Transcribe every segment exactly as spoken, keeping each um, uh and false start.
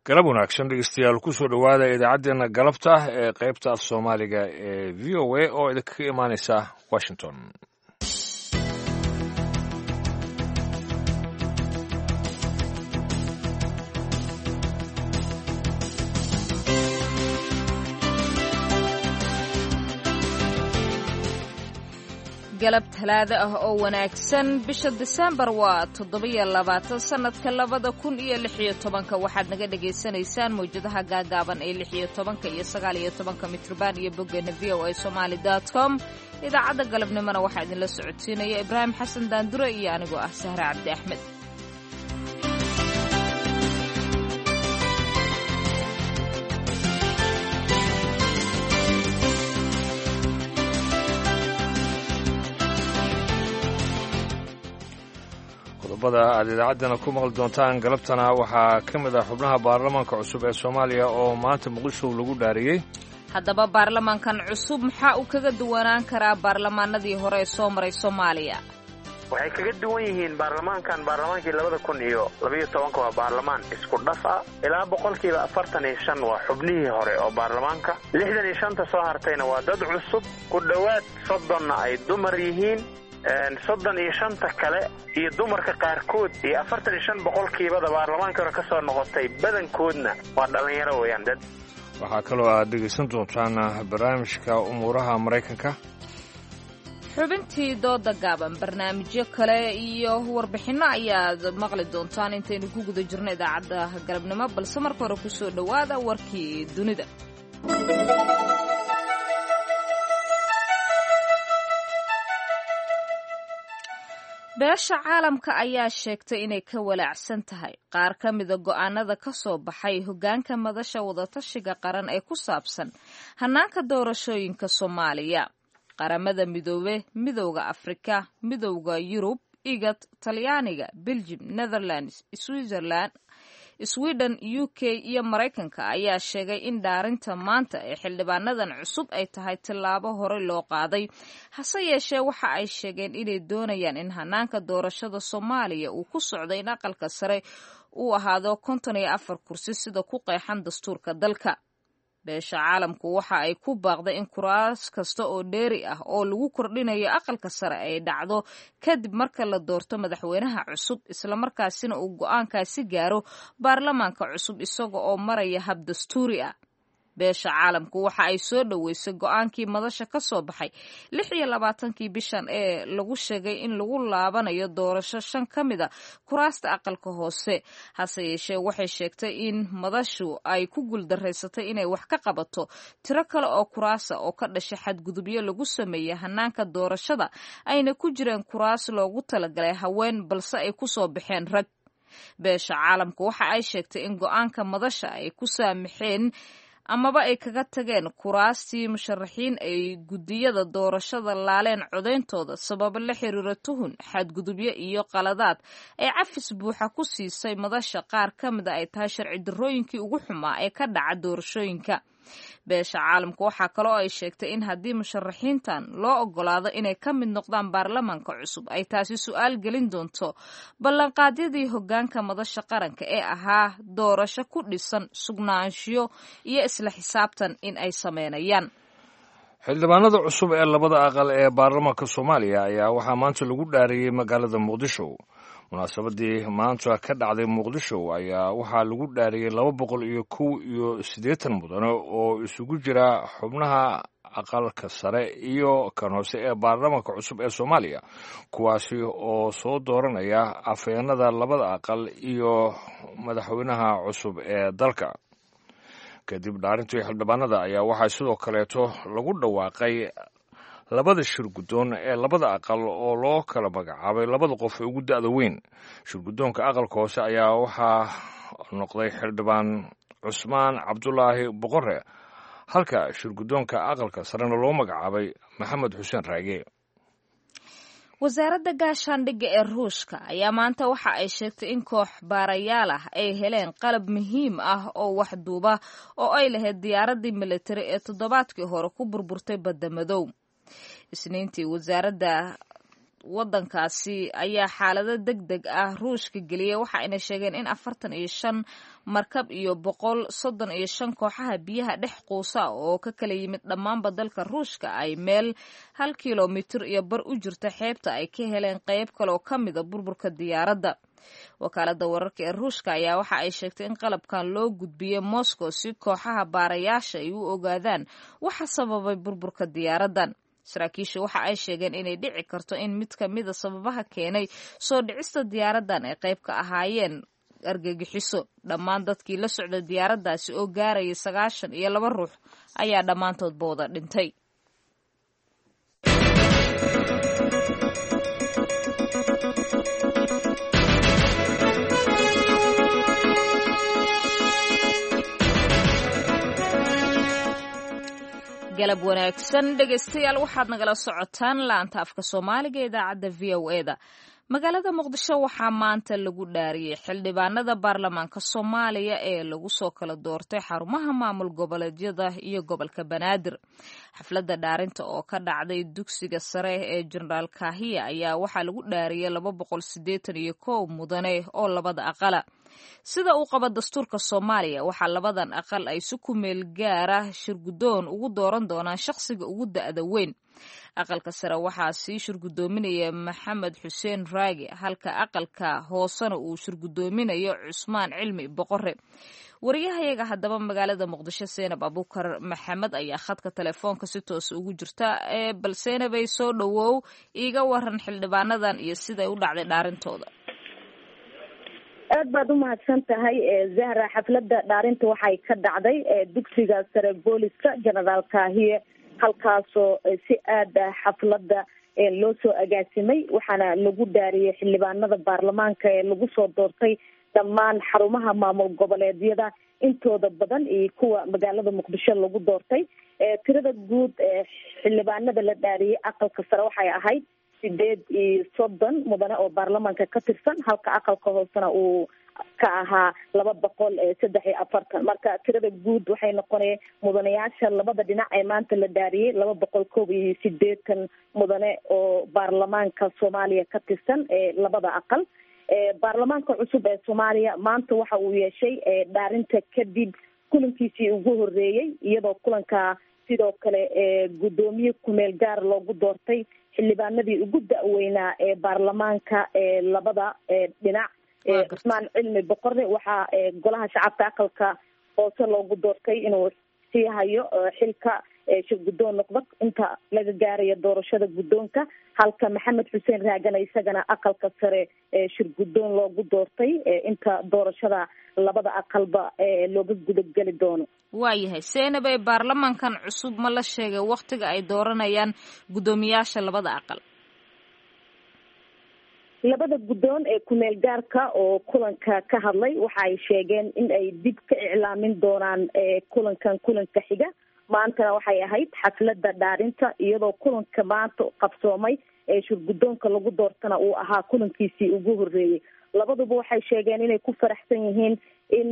Galab wanaagsan, dhegeystayaal. Kusoo dhowaada idaacaddeenna galabta ee qaybta af Soomaaliga ee V O A oo idinkaga imaaneysa Washington. Galab Talaado ah oo wanaagsan. Bisha Disembar waa toddobiyo labaatan sanadka labada kun iyo lix iyo tobanka. Waxaad naga dhagaysanaysaan mawjadaha gaagaaban ee lix iyo tobanka iyo sagaal iyo tobanka mitrban iyo boggeena V O A Somali dot com. Idaacadda galabnimona waxaa idinla socodsiinaya Ibraahim Xasan Daandure iyo anigoo ah Sahre Cabdi Axmed. Qodobada aad idaacaddana ku maqli doontaan galabtana waxaa ka mid ah xubnaha baarlamaanka cusub ee Soomaaliya oo maanta Muqdisho lagu dhaariyey. Haddaba, baarlamaankan cusub maxaa uu kaga duwanaan karaa baarlamaanadii hore ee soo maray Soomaaliya? Waxay kaga duwan yihiin baarlamaankan baarlamaankii labada kun iyo labayo tobanka, waa baarlamaan isku dhaf ah. Ilaa boqolkiiba afartan iyo shan waa xubnihii hore oo baarlamaanka, lixdan iyo shanta soo hartayna waa dad cusub, ku dhowaad soddonna ay dumar yihiin. Soddon iyo shanta kale iyo dumarka qaarkood iyo afartan iyo shan boqolkiibada baarlamaanka hore ka soo noqotay badankoodna waa dhallinyaro weeyaan dad. Waxaa kaloo aad dhegaysan doontaan barnaamijka umuuraha Maraykanka, xubintii dooda gaaban, barnaamijyo kale iyo warbixinno ayaad maqli doontaan intaynu ku guda jirno idaacadda galabnimo, balse marka hore kusoo dhowaada warkii dunida. Beesha caalamka ayaa sheegtay inay ka walaacsan tahay qaar ka mida go'aanada ka soo baxay hoggaanka Madasha Wadatashiga Qaran ee ku saabsan hannaanka doorashooyinka Soomaaliya. Qaramada Midoobe, Midowda Afrika, Midowda Yurub, IGAD, Talyaaniga, Beljim, Netherlands, Switzerland, Sweden, U K iyo Maraykanka ayaa sheegay in dhaarinta maanta ee xildhibaanadan cusub ay tahay tillaabo hore loo qaaday. Hase yeeshee, waxa ay sheegeen inay doonayaan in hanaanka doorashada Soomaaliya uu ku socdo in aqalka sare uu ahaado konton iyo afar kursi, sida ku qeexan dastuurka dalka. Beesha caalamku waxa ay ku baaqday in kuraas kasta oo dheeri ah oo lagu kordhinayo aqalka sare ay dhacdo kadib marka la doorto madaxweynaha cusub, islamarkaasina uu go'aankaasi gaaro baarlamaanka cusub isaga oo maraya hab dastuuri ah. Beesha caalamku waxa ay soo dhoweysay go'aankii madasha ka soo baxay lix iyo labaatankii bishan ee lagu sheegay in lagu laabanayo doorasho shan ka mid a kuraasta aqalka hoose. Hase yeeshee, waxay sheegtay in madashu ay ku guuldareysatay inay wax ka qabato tiro kale oo kuraasa oo ka dhashay xadgudubyo lagu sameeyey hanaanka doorashada, ayna ku jireen kuraas loogu talagalay haween balse ay kusoo baxeen rag. Beesha caalamku waxa ay sheegtay in go'aanka madasha ay ku saamaxeen amaba ay kaga tageen kuraastii musharaxiin ay guddiyada doorashada laaleen codeyntooda sababo la xiriira tuhun, xadgudubyo iyo qaladaad ay cafis buuxa ku siisay madasha qaar ka mida ay tahay sharci darrooyinkii ugu xumaa ee ka dhaca doorashooyinka. Beesha caalamku waxaa kaloo ay sheegtay in haddii musharaxiintan loo ogolaado inay ka mid noqdaan baarlamaanka cusub, ay taasi su'aal gelin doonto ballanqaadyadii hoggaanka Madasha Qaranka ee ahaa doorasho ku dhisan sugnaanshiyo iyo isla xisaabtan in ay sameynayaan. Xildhibaanada cusub ee labada aqal ee baarlamaanka Soomaaliya ayaa waxaa maanta lagu dhaariyey magaalada Muqdisho. Munaasabadii maanta ka dhacday Muqdisho ayaa waxaa lagu dhaariyey laba boqol iyo kow iyo siddeetan mudane oo isugu jira xubnaha aqalka sare iyo kan hoose ee baarlamaanka cusub ee Soomaaliya, kuwaasi oo soo dooranaya afhayeenada labada aqal iyo madaxweynaha cusub ee dalka. Kadib dhaarintii xildhibaanada ayaa waxaa sidoo kaleeto lagu dhawaaqay labada shir guddoon ee labada aqal oo loo kala magacaabay labada qof ee ugu da'da weyn. Shir guddoonka aqalka hoose ayaa waxaa noqday xildhibaan Cusmaan Cabdulaahi Boqore, halka shir guddoonka aqalka sarena loo magacaabay Maxamed Xuseen Raage. Wasaaradda gaashaandhigga ee Ruushka ayaa maanta waxa ay sheegtay in koox baarayaal ah ay heleen qalab muhiim ah oo wax duuba oo ay lahayd diyaaraddii militari ee toddobaadkii hore ku burburtay Badda Madow Isniintii. Wasaaradda waddankaasi ayaa xaalado deg deg ah ruushka geliyay, waxa ayna sheegeen in afartan iyo shan markab iyo boqol soddon iyo shan kooxaha biyaha dhex quusa oo ka kala yimid dhammaanba dalka ruushka ay meel hal kilomitir iyo bar u jirta xeebta ay ka heleen qeyb kale oo ka mida burburka diyaaradda. Wakaaladda wararka ee ruushka ayaa waxa ay sheegtay in qalabkan loo gudbiyey Moscow si kooxaha baarayaasha ay u ogaadaan waxa sababay burburka diyaaraddan. Saraakiisha waxa ay sheegeen inay dhici karto in mid ka mida sababaha keenay soo dhicista diyaaraddan ay qayb ka ahaayeen argagixiso. Dhammaan dadkii la socda diyaaraddaasi oo gaaraya sagaashan iyo laba ruux ayaa dhammaantoodba wada dhintay. Galab wanaagsan dhegaystayaal, waxaad nagala socotaan laanta afka Soomaaliga ee idaacadda V O E da. Magaalada Muqdisho waxaa maanta lagu dhaariyey xildhibaanada baarlamaanka Soomaaliya ee lagu soo kala doortay xarumaha maamul goboleedyada iyo gobolka Banaadir. Xafladda dhaarinta oo ka dhacday dugsiga sare ee Jenaraal Kaahiya ayaa waxaa lagu dhaariyey laba boqol siddeetan iyo kow mudane oo labada aqala. Sida uu qabo dastuurka Soomaaliya, waxaa labadan aqal ay si ku meel gaara shirguddoon ugu dooran doonaan shaqsiga ugu da'da weyn. Aqalka sare waxaa sii shirgudoominaya Maxamed Xuseen Raage, halka aqalka hoosena uu shirgudoominayo Cusmaan Cilmi Boqore. Wariyahayaga haddaba magaalada Muqdisho, Seenab Abuukar Maxamed, ayaa khadka telefoonka si toos ugu jirta. Bal Seenabay, soo dhowow, iiga waran xildhibaanadan iyo siday u dhacday dhaarintooda. Aad baad umahadsan tahay Zahra. Xafladda dhaarinta waxay ka dhacday dugsiga sare booliska Jenaraal Kaahiye, halkaasoo si aad ah xafladda loo soo agaasimay, waxaana lagu dhaariyey xildhibaanada baarlamaanka ee lagu soo doortay dhammaan xarumaha maamul goboleedyada intooda badan iyo kuwa magaalada Muqdisho lagu doortay. Tirada guud xildhibaanada la dhaariyey aqalka sare waxay ahayd sideed iyo soddon mudane oo baarlamaanka ka tirsan, halka aqalka hoosena uu ka ahaa laba boqol saddex iyo afartan. Marka tirada guud waxay noqonaya mudanayaasha labada dhinac ee maanta la dhaariyey laba boqol koob iyo sideetan mudane oo baarlamaanka Soomaaliya ka tirsan ee labada aqal. Baarlamaanka cusub ee Soomaaliya maanta waxa uu yeeshay dhaarinta kadib kulankiisii ugu horeeyey, iyadoo kulanka sidoo kale guddoomiye kumeel gaar loogu doortay xildhibaanadii ugu da-weynaa ee baarlamaanka ee labada dhinac. Cusmaan Cilmi Boqore waxaa golaha shacabka aqalka hoose loogu doortay inuu sii hayo xilka shirguddoon noqdo inta laga gaarayo doorashada guddoonka, halka Maxamed Xuseen Raagana isagana aqalka sare shirguddoon loogu doortay inta doorashada labada aqalba looga gudageli doono. Waayahay Seenabay, baarlamaankan cusub ma la sheegay waktiga ay dooranayaan guddoomiyaasha labada aqal? Labada guddoon ee kumeel gaarka oo kulanka ka hadlay waxa ay sheegeen in ay dib ka iclaamin doonaan kulankan kulanka xiga. Maantana waxay ahayd xafladda dhaarinta, iyadoo kulanka maanta qabsoomay ee shirguddoonka lagu doortana uu ahaa kulankiisii ugu horreeyey. Labaduba waxay sheegeen inay ku faraxsan yihiin in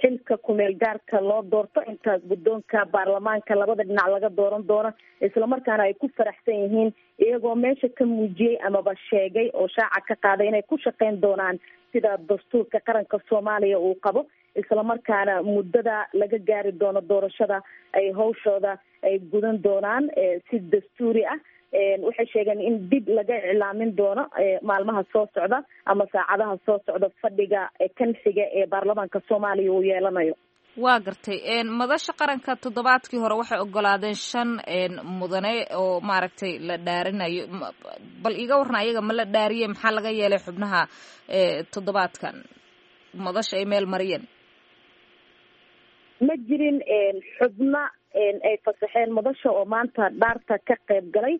xilka kumeel gaarka loo doorto inta guddoonka baarlamaanka labada dhinac laga dooran doono, islamarkaana ay ku faraxsan yihiin iyagoo meesha ka muujiyey amaba sheegay oo shaaca ka qaaday inay ku shaqeyn doonaan sida dastuurka qaranka Soomaaliya uu qabo, islamarkaana muddada laga gaari doono doorashada ay hawshooda ay gudan doonaan si dastuuri ah. Waxay sheegeen in dib laga iclaamin doono maalmaha soo socda ama saacadaha soo socda fadhiga kan xiga ee baarlamaanka Soomaaliya uu yeelanayo. Waa gartay. Madasha qaranka toddobaadkii hore waxay ogolaadeen shan mudane oo maaragtay la dhaarinayo. Bal iiga warran, ayaga ma la dhaariyey? Maxaa laga yeelay xubnaha toddobaadkan madasha ay meel mariyeen? Ma jirin xubno ay fasaxeen madasha oo maanta dhaarta ka qayb galay.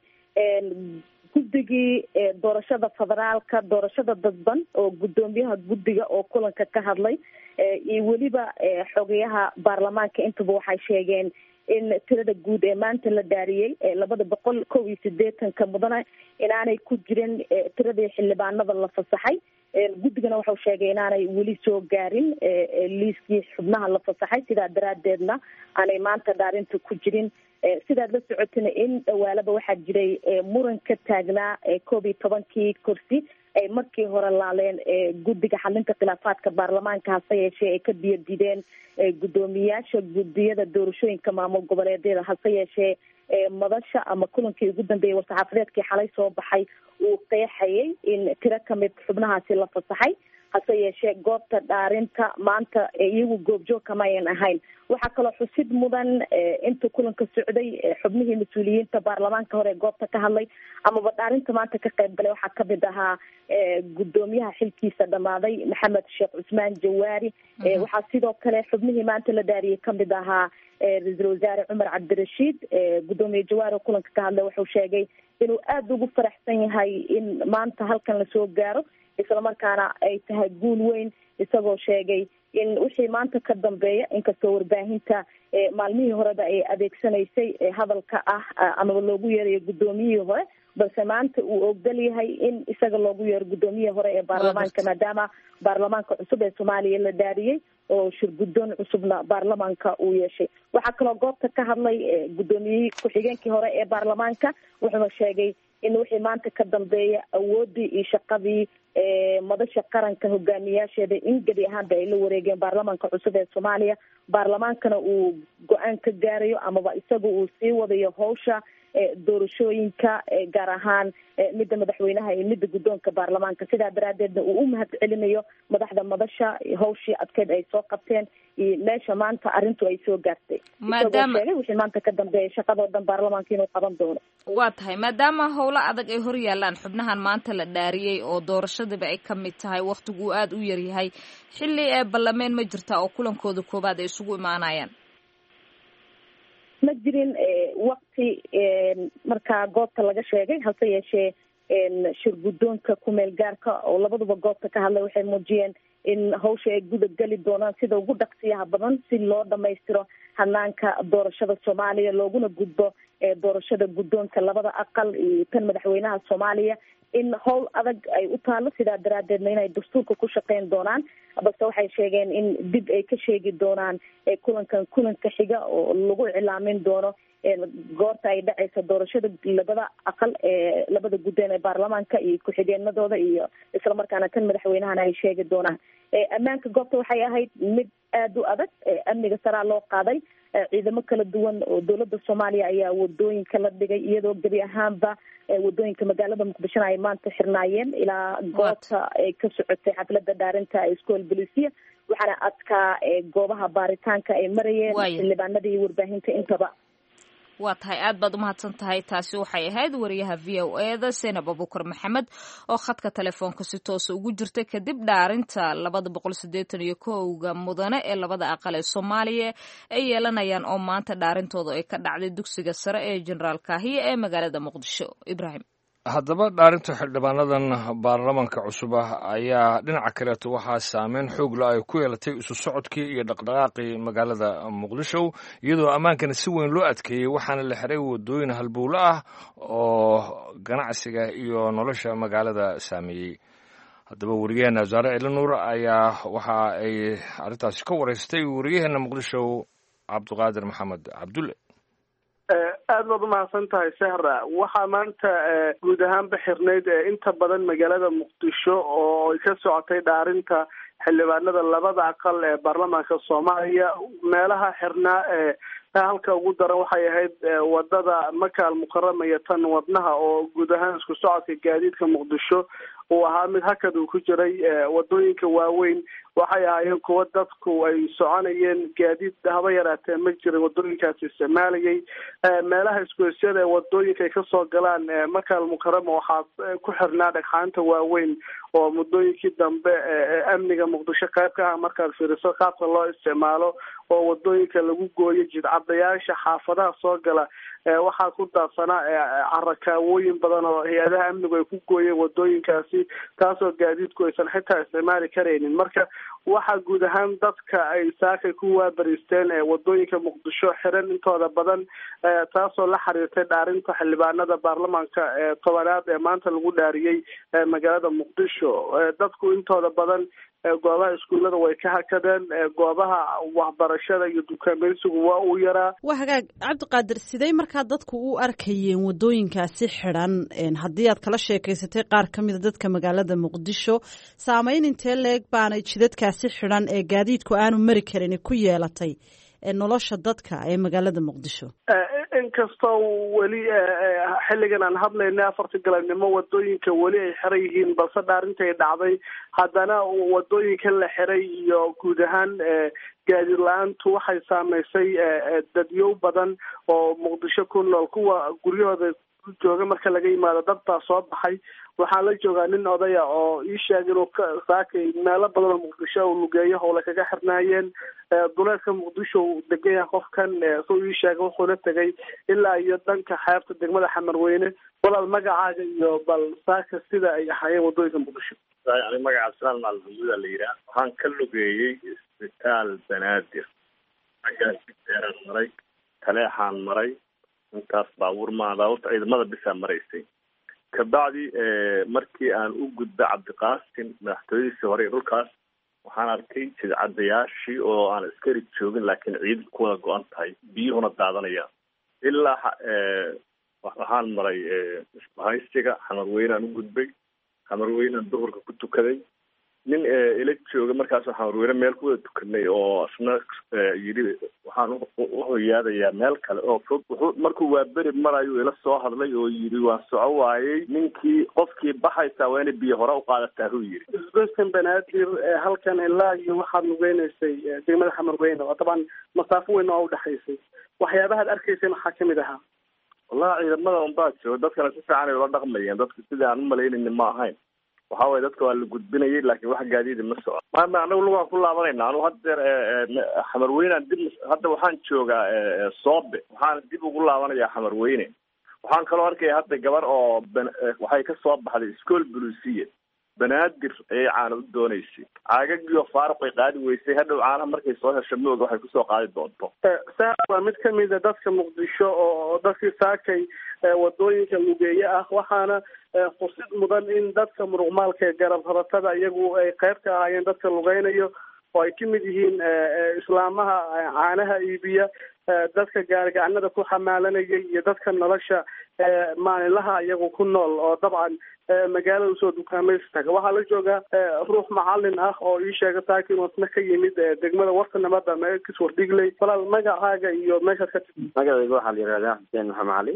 Guddigii doorashada federaalka, doorashada dadban oo guddoomiyaha guddiga oo kulanka ka hadlay iyo weliba xogayaha baarlamaanka intaba waxay sheegeen in tirada guud ee maanta la dhaariyey labada boqol kow iyo sideetanka mudane inaanay ku jirin tiradii xildhibaanada la fasaxay. Guddigana wuxuu sheegay inaanay weli soo gaarin liiskii xubnaha la fasaxay, sidaa daraadeedna aanay maanta dhaarinta ku jirin. Sidaad la socotina in dhawaalaba waxaa jiray muran ka taagnaa koob iyo tobankii kursi ay markii hore laaleen guddiga xalinta khilaafaadka baarlamaanka, hase yeeshee ay ka biyo dideen guddoomiyaasha guddiyada doorashooyinka maamul goboleedyada. Hase yeeshee madasha ama kulankii ugu dambeeyay war-saxaafadeedkii xalay soo baxay uu qeexayay in tiro kamid xubnahaasi la fasaxay, hase yeeshee goobta dhaarinta maanta iyagu goobjoog kama ayan ahayn. Waxaa kaloo xusid mudan inta kulanka socday xubnihii mas-uuliyiinta baarlamaanka hore ee goobta ka hadlay amaba dhaarinta maanta ka qayb galay waxaa kamid ahaa guddoomiyaha xilkiisa dhamaaday Maxamed Sheekh Cusmaan Jawaari. Waxaa sidoo kale xubnihii maanta la dhaariyay kamid ahaa ra-iisul wasaare Cumar Cabdirashiid. Guddoomiye Jawaari oo kulanka ka hadlay wuxuu sheegay inuu aada ugu faraxsan yahay in maanta halkan lasoo gaaro, islamarkaana ay tahay guul weyn, isagoo sheegay in wixii maanta ka dambeeya, inkastoo warbaahinta maalmihii horeba ay adeegsanaysay hadalka ah amaba loogu yeerayo guddoomiyihii hore, balse maanta uu ogol yahay in isaga loogu yeero guddoomiyihii hore ee baarlamaanka, maadaama baarlamaanka cusub ee Soomaaliya la dhaariyey oo shir guddoon cusubna baarlamaanka uu yeeshay. Waxaa kaloo goobta ka hadlay guddoomiyihii ku-xigeenkii hore ee baarlamaanka, wuxuuna sheegay in wixii maanta ka dambeeya awooddii iyo shaqadii madasha qaranka hogaamiyaasheeda in gebi ahaanba ay la wareegeen baarlamaanka cusub ee Soomaaliya, baarlamaankana uu go-aan ka gaarayo amaba isaga uu sii wadayo hawsha doorashooyinka, gaar ahaan midda madaxweynaha iyo midda guddoonka baarlamaanka. Sidaa daraadeedna uu u mahad celinayo madaxda madasha hawshii adkeyd ay soo qabteen iyo meesha maanta arrintu ay soo gaartay, isagoo sheegay wixii maanta ka dambeeya shaqadoo dhan baarlamaanka inuu qaban doono. Waa tahay, maadaama howlo adag ay hor yaalaan xubnahan maanta la dhaariyey oo doorashadiiba ay ka mid tahay, wakhtigu uu aada u yaryahay, xilli ee ballameen ma jirtaa oo kulankooda koowaad ay isugu imaanayaan? Ma jirin wakti markaa goobta laga sheegay, hase yeeshee shir guddoonka kumeel gaarka oo labaduba goobta ka hadlay waxay muujiyeen in hawsha ay guda geli doonaan sida ugu dhaqsiyaha badan si loo dhamaystiro hanaanka doorashada Soomaaliya, looguna gudbo doorashada guddoonka labada aqal iyo tan madaxweynaha Soomaaliya, in howl adag ay u taalo, sidaa daraadeedna inay dastuurka ku shaqeyn doonaan. Balse waxay sheegeen in dib ay ka sheegi doonaan kulankan kulanka xiga oo lagu iclaamin doono goorta ay dhacayso doorashada labada aqal ee labada guddeen ee baarlamaanka iyo ku-xigeenadooda iyo islamarkaana tan madaxweynahana ay sheegi doonaan. Ammaanka goobta waxay ahayd mid aada u adag, amniga saraa loo qaaday, ciidamo kala duwan oo dowladda Soomaaliya ayaa wadooyinka la dhigay, iyadoo gebi ahaanba wadooyinka magaalada Muqdishona ay maanta xirnaayeen ilaa goobta ay ka socotay xafladda dhaarinta iskool bolisiya, waxaana adkaa goobaha baaritaanka ay marayeen xildhibaanada iyo warbaahinta intaba. Waa tahay, aad baad umahadsan tahay. Taasi waxay ahayd wariyaha V O E da Senab Abukar Maxamed oo khadka telefoonka si toosa ugu jirta kadib dhaarinta labada boqol siddeetan iyo kowga mudane ee labada aqal ee Soomaaliya ay yeelanayaan oo maanta dhaarintooda ay ka dhacday dugsiga sare ee Jenaraal Kaahiye ee magaalada Muqdisho. Ibraahim, haddaba dhaarinta xildhibaanadan baarlamaanka cusub ah ayaa dhinaca kaleeto waxaa saameyn xoog la ay ku yeelatay isu socodkii iyo dhaqdhaqaaqii magaalada Muqdisho, iyadoo ammaankana si weyn loo adkeeyey, waxaana la xiray waddooyin halbowlo ah oo ganacsiga iyo nolosha magaalada saameeyey. Haddaba wariyaheena Wasaare Ciili Nuur ayaa waxa ay arrintaasi ka wareystay wariyaheena Muqdisho Cabdiqaadir Maxamed Cabdulle. Aad baad umahadsan tahay Sahra. Waxaa maanta guud ahaanba xirnayd inta badan magaalada Muqdisho oo ay ka socotay dhaarinta xildhibaanada labada aqal ee baarlamaanka Soomaaliya. Meelaha xirnaa ee halka ugu daran waxay ahayd wadada Maka Almukarama iyo tan Wadnaha, oo guud ahaan isku socodka gaadiidka Muqdisho uu ahaa mid hakad uu ku jiray. Wadooyinka waaweyn waxay ahaayeen kuwo dadku ay soconayeen, gaadiid haba yaraatee ma jirin wadooyinkaasi isticmaalayay. Meelaha isgoysyada ee wadooyinka ay kasoo galaan Maka Almukarama waxaa ku xirnaa dhagxaanta waaweyn oo muddooyinkii dambe amniga Muqdisho qayb ka ah markaad fiiriso qaabka loo isticmaalo oo wadooyinka lagu gooyo. Jidcadayaasha xaafadaha soo gala waxaa ku daadsanaa carakaawooyin badan oo hay-adaha amnigu ay ku gooyeen wadooyinkaasi, taasoo gaadiidku aysan xitaa isticmaali karaynin. Marka Waxaa guud ahaan dadka ay saakay ku waabariisteen wadooyinka Muqdisho xiran intooda badan, taasoo la xiriirtay dhaarinta xildhibaanada baarlamaanka ee tobanaad ee maanta lagu dhaariyey magaalada Muqdisho. Dadku intooda badan goobaha iskuullada way ka hakadeen, goobaha waxbarashada iyo dukaamaysigu waa uu yaraa. Waa hagaag, Cabdiqaadir, sidee markaa dadku u arkayeen wadooyinkaasi xidhan? Haddii aad kala sheekaysatay qaar ka mida dadka magaalada Muqdisho, saameyn intee leeg baanay jidadkaasi xidhan ee gaadiidku aanu mari karin ku yeelatay nolosha dadka ee magaalada Muqdisho? Inkastoo weli xilligan aan hadlayna afarta galabnimo wadooyinka weli ay xiran yihiin, balse dhaarinta ay dhacday, haddana wadooyinka la xiray iyo guud ahaan gaadiid la-aantu waxay saameysay dadyow badan oo Muqdisho ku nool. Kuwa guryahooda jooga marka laga yimaado, dad baa soo baxay. Waxaa la joogaa nin odaya oo ii sheegay inuu saakay meelo badan oo Muqdisho uu lugeeyo howle kaga xirnaayeen. Duleedka Muqdisho uu degan yahay qofkan, suu ii sheegay, wuxuuna tegay ilaa iyo dhanka xeebta degmada Xamarweyne. Walaal, magacaaga iyo bal saaka sida ay ahaayeen wadooyinka Muqdisho? Ani magaca Abdisalaan Macalin Maxamuuda la yidhaah. Waxaan ka lugeeyey isbitaal Banaadir, xaggaas deeraan maray, Taleexaan maray, intaas baabuur maa, baabuurta ciidamada bisaa maraysay. Kabacdi markii aan u gudbay Cabdiqaasim madaxtooyadiisii hore dhulkaas, waxaan arkay jidcadayaashii oo aan askari joogin, laakiin ciidan ku wada go-an tahay, biyuhuna daadanayaan. Ilaa waxaan maray isbahaysiga Xamarweynaan u gudbay, Xamarweynaan duhurka ku tukaday. Nin ila jooga markaasoo Xamarweyne meel ku wada tukanay oo isna yidhi waxaan u hoyaadayaa meel kale oo fog, wuxuu markuu waaberi marayuu ila soo hadlay oo yidhi waan soco waayey, ninkii qofkii baxaysaa waa inay biyo hore u qaadataa huu yidhi. Isgoyskan Banaadir halkan ilaa iyo waxaad lugeynaysay degmada Xamarweyne oo dabcan masaafo weyn oo udhexaysay, waxyaabahaad arkaysay maxaa kamid ahaa? Wallahi ciidamada unbaa jooga, dadkana si fiican ay ula dhaqmayeen. Dadka sidai aan umalaynayni ma ahayn. Waxa waye dadka waa la gudbinayay, laakiin wax gaadiida ma soco. Ma anagu lugaan ku laabanayna. Anu haddeer Xamarweynaan dib, hadda waxaan joogaa Soobe, waxaana dib ugu laabanayaa Xamarweyne. Waxaan kaloo arkaya hadda gabar oo waxay ka soo baxday iskool bulusiya, Banaadir ayay caana u doonaysay, caagagiioo faaruq ay qaadi weysay. Hadhow caanaha markay soo hesho mooga waxay kusoo qaadi doonto. Saa waa mid kamida dadka Muqdisho oo dadkii saakay wadooyinka lugeeye ah. Waxaana fursad mudan in dadka muruqmaalka ee garab rabatada iyagu ay qayb ka ahaayeen dadka lugeynayo, oo ay kamid yihiin islaamaha caanaha iibiya, dadka gaarigacanada ku xamaalanaya iyo dadka nolosha maalinlaha iyagu ku nool oo dabcan magaalada usoo dukaamaysi taga. Waxaa la joogaa ruux macalin ah oo ii sheega saaki inuu isna ka yimid degmada Warta Nabadda Kiswardhigley. Walaal, magacaaga iyo meeshaad ka timid? Magacayga waxaa la yihahdaa Xuseen Maxamed Cali.